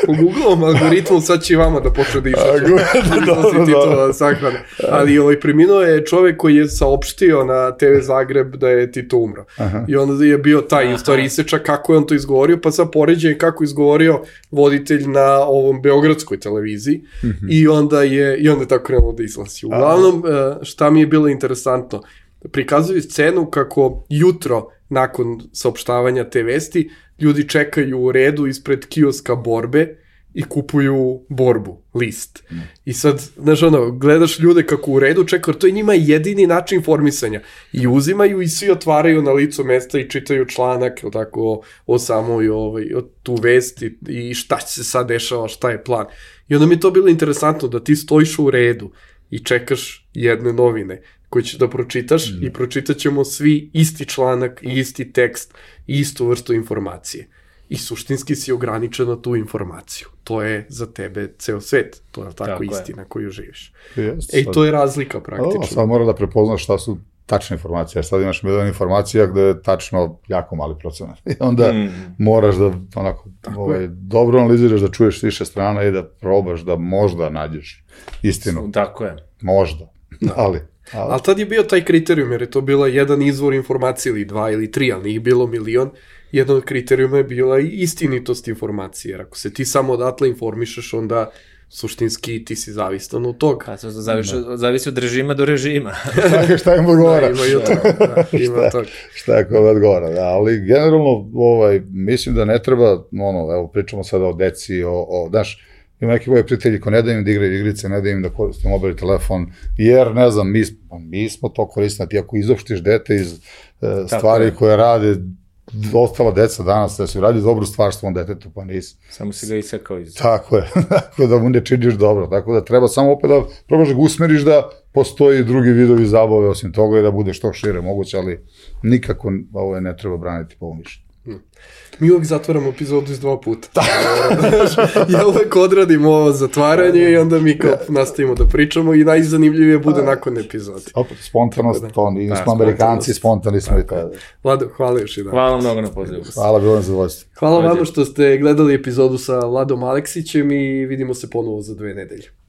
Pogooglao algoritmom, sad će i vama da počne da išaću. Izlazi Titova sahrana. Ali ovaj, preminuo je čovek koji je saopštio na te ve Zagreb da je Tito umro. Aha. I onda je bio taj u stvari isečak kako je on to izgovorio, pa sad poređenje kako izgovorio voditelj na ovom beogradskoj televiziji mm-hmm. i onda je i onda je tako krenulo da izlazi. Uglavnom, šta mi je bilo interesantno, prikazuju scenu kako jutro nakon saopštavanja te vesti ljudi čekaju u redu ispred kioska Borbe i kupuju Borbu, list. Mm. I sad, znaš ono, gledaš ljude kako u redu čekaju, to je njima jedini način informisanja. I uzimaju i svi otvaraju na licu mesta i čitaju članak, o tako, o, o samoj, ovaj, o tu vesti i šta se sad dešava, šta je plan. I onda mi je to bilo interesantno da ti stojiš u redu i čekaš jedne novine koje ćeš da pročitaš mm. i pročitat ćemo svi isti članak i isti tekst i istu vrstu informacije. I suštinski si ograničen na tu informaciju. To je za tebe ceo svet. To je tako, tako istina je. Koju živiš. Yes, e, to je razlika praktično. O, sad mora da prepoznaš šta su tačne informacije. Sad imaš milion informacija gde je tačno jako mali procenat. I onda mm. moraš da onako ovaj, dobro analiziraš, da čuješ više strana i da probaš da možda nađeš istinu. Tako je. Možda. Da. Ali... Ali, ali tad je bio taj kriterijum, jer je to bila jedan izvor informacije ili dva ili tri, ali nije bilo milion. Jedan od kriterijuma je bila i istinitost informacije, jer ako se ti samo odatle informišeš, onda suštinski ti si zavistan od toga. Pa to zavisi, zavisi od režima do režima. šta im odgovara? Da, ima i od toga. Da, ima šta, toga. šta je kome odgovara, da, ali generalno ovaj, mislim da ne treba, ono, evo pričamo sada o deci, o, o znaš, ima neki moji prijatelji ko ne da im da igraju igrice, ne da im da koriste mobilni telefon, jer ne znam, mi, mi smo to koristili, ti ako izopštiš dete iz e, stvari koje rade ostala deca danas, da su radi dobru stvar svom detetu, pa nisi. Samo si ga isekao iz... Tako je, tako da mu ne činiš dobro, tako da treba samo opet da probaš da ga usmeriš da postoji drugi vidovi zabave osim toga i da bude što šire moguće, ali nikako ovo ne treba braniti po ovom mišljenju. Mi uvijek zatvaramo epizodu iz dva puta. Ja uvijek odradim ovo zatvaranje i onda mi kao nastavimo da pričamo i najzanimljivije bude nakon epizode. Opet, spontanost, to nismo Amerikanci, spontani smo i to. Vlado, hvala još i dan. Hvala mnogo na pozivu. Hvala, bilo nam zadovoljstvo. Hvala vama što ste gledali epizodu sa Vladom Aleksićem i vidimo se ponovo za dve nedelje.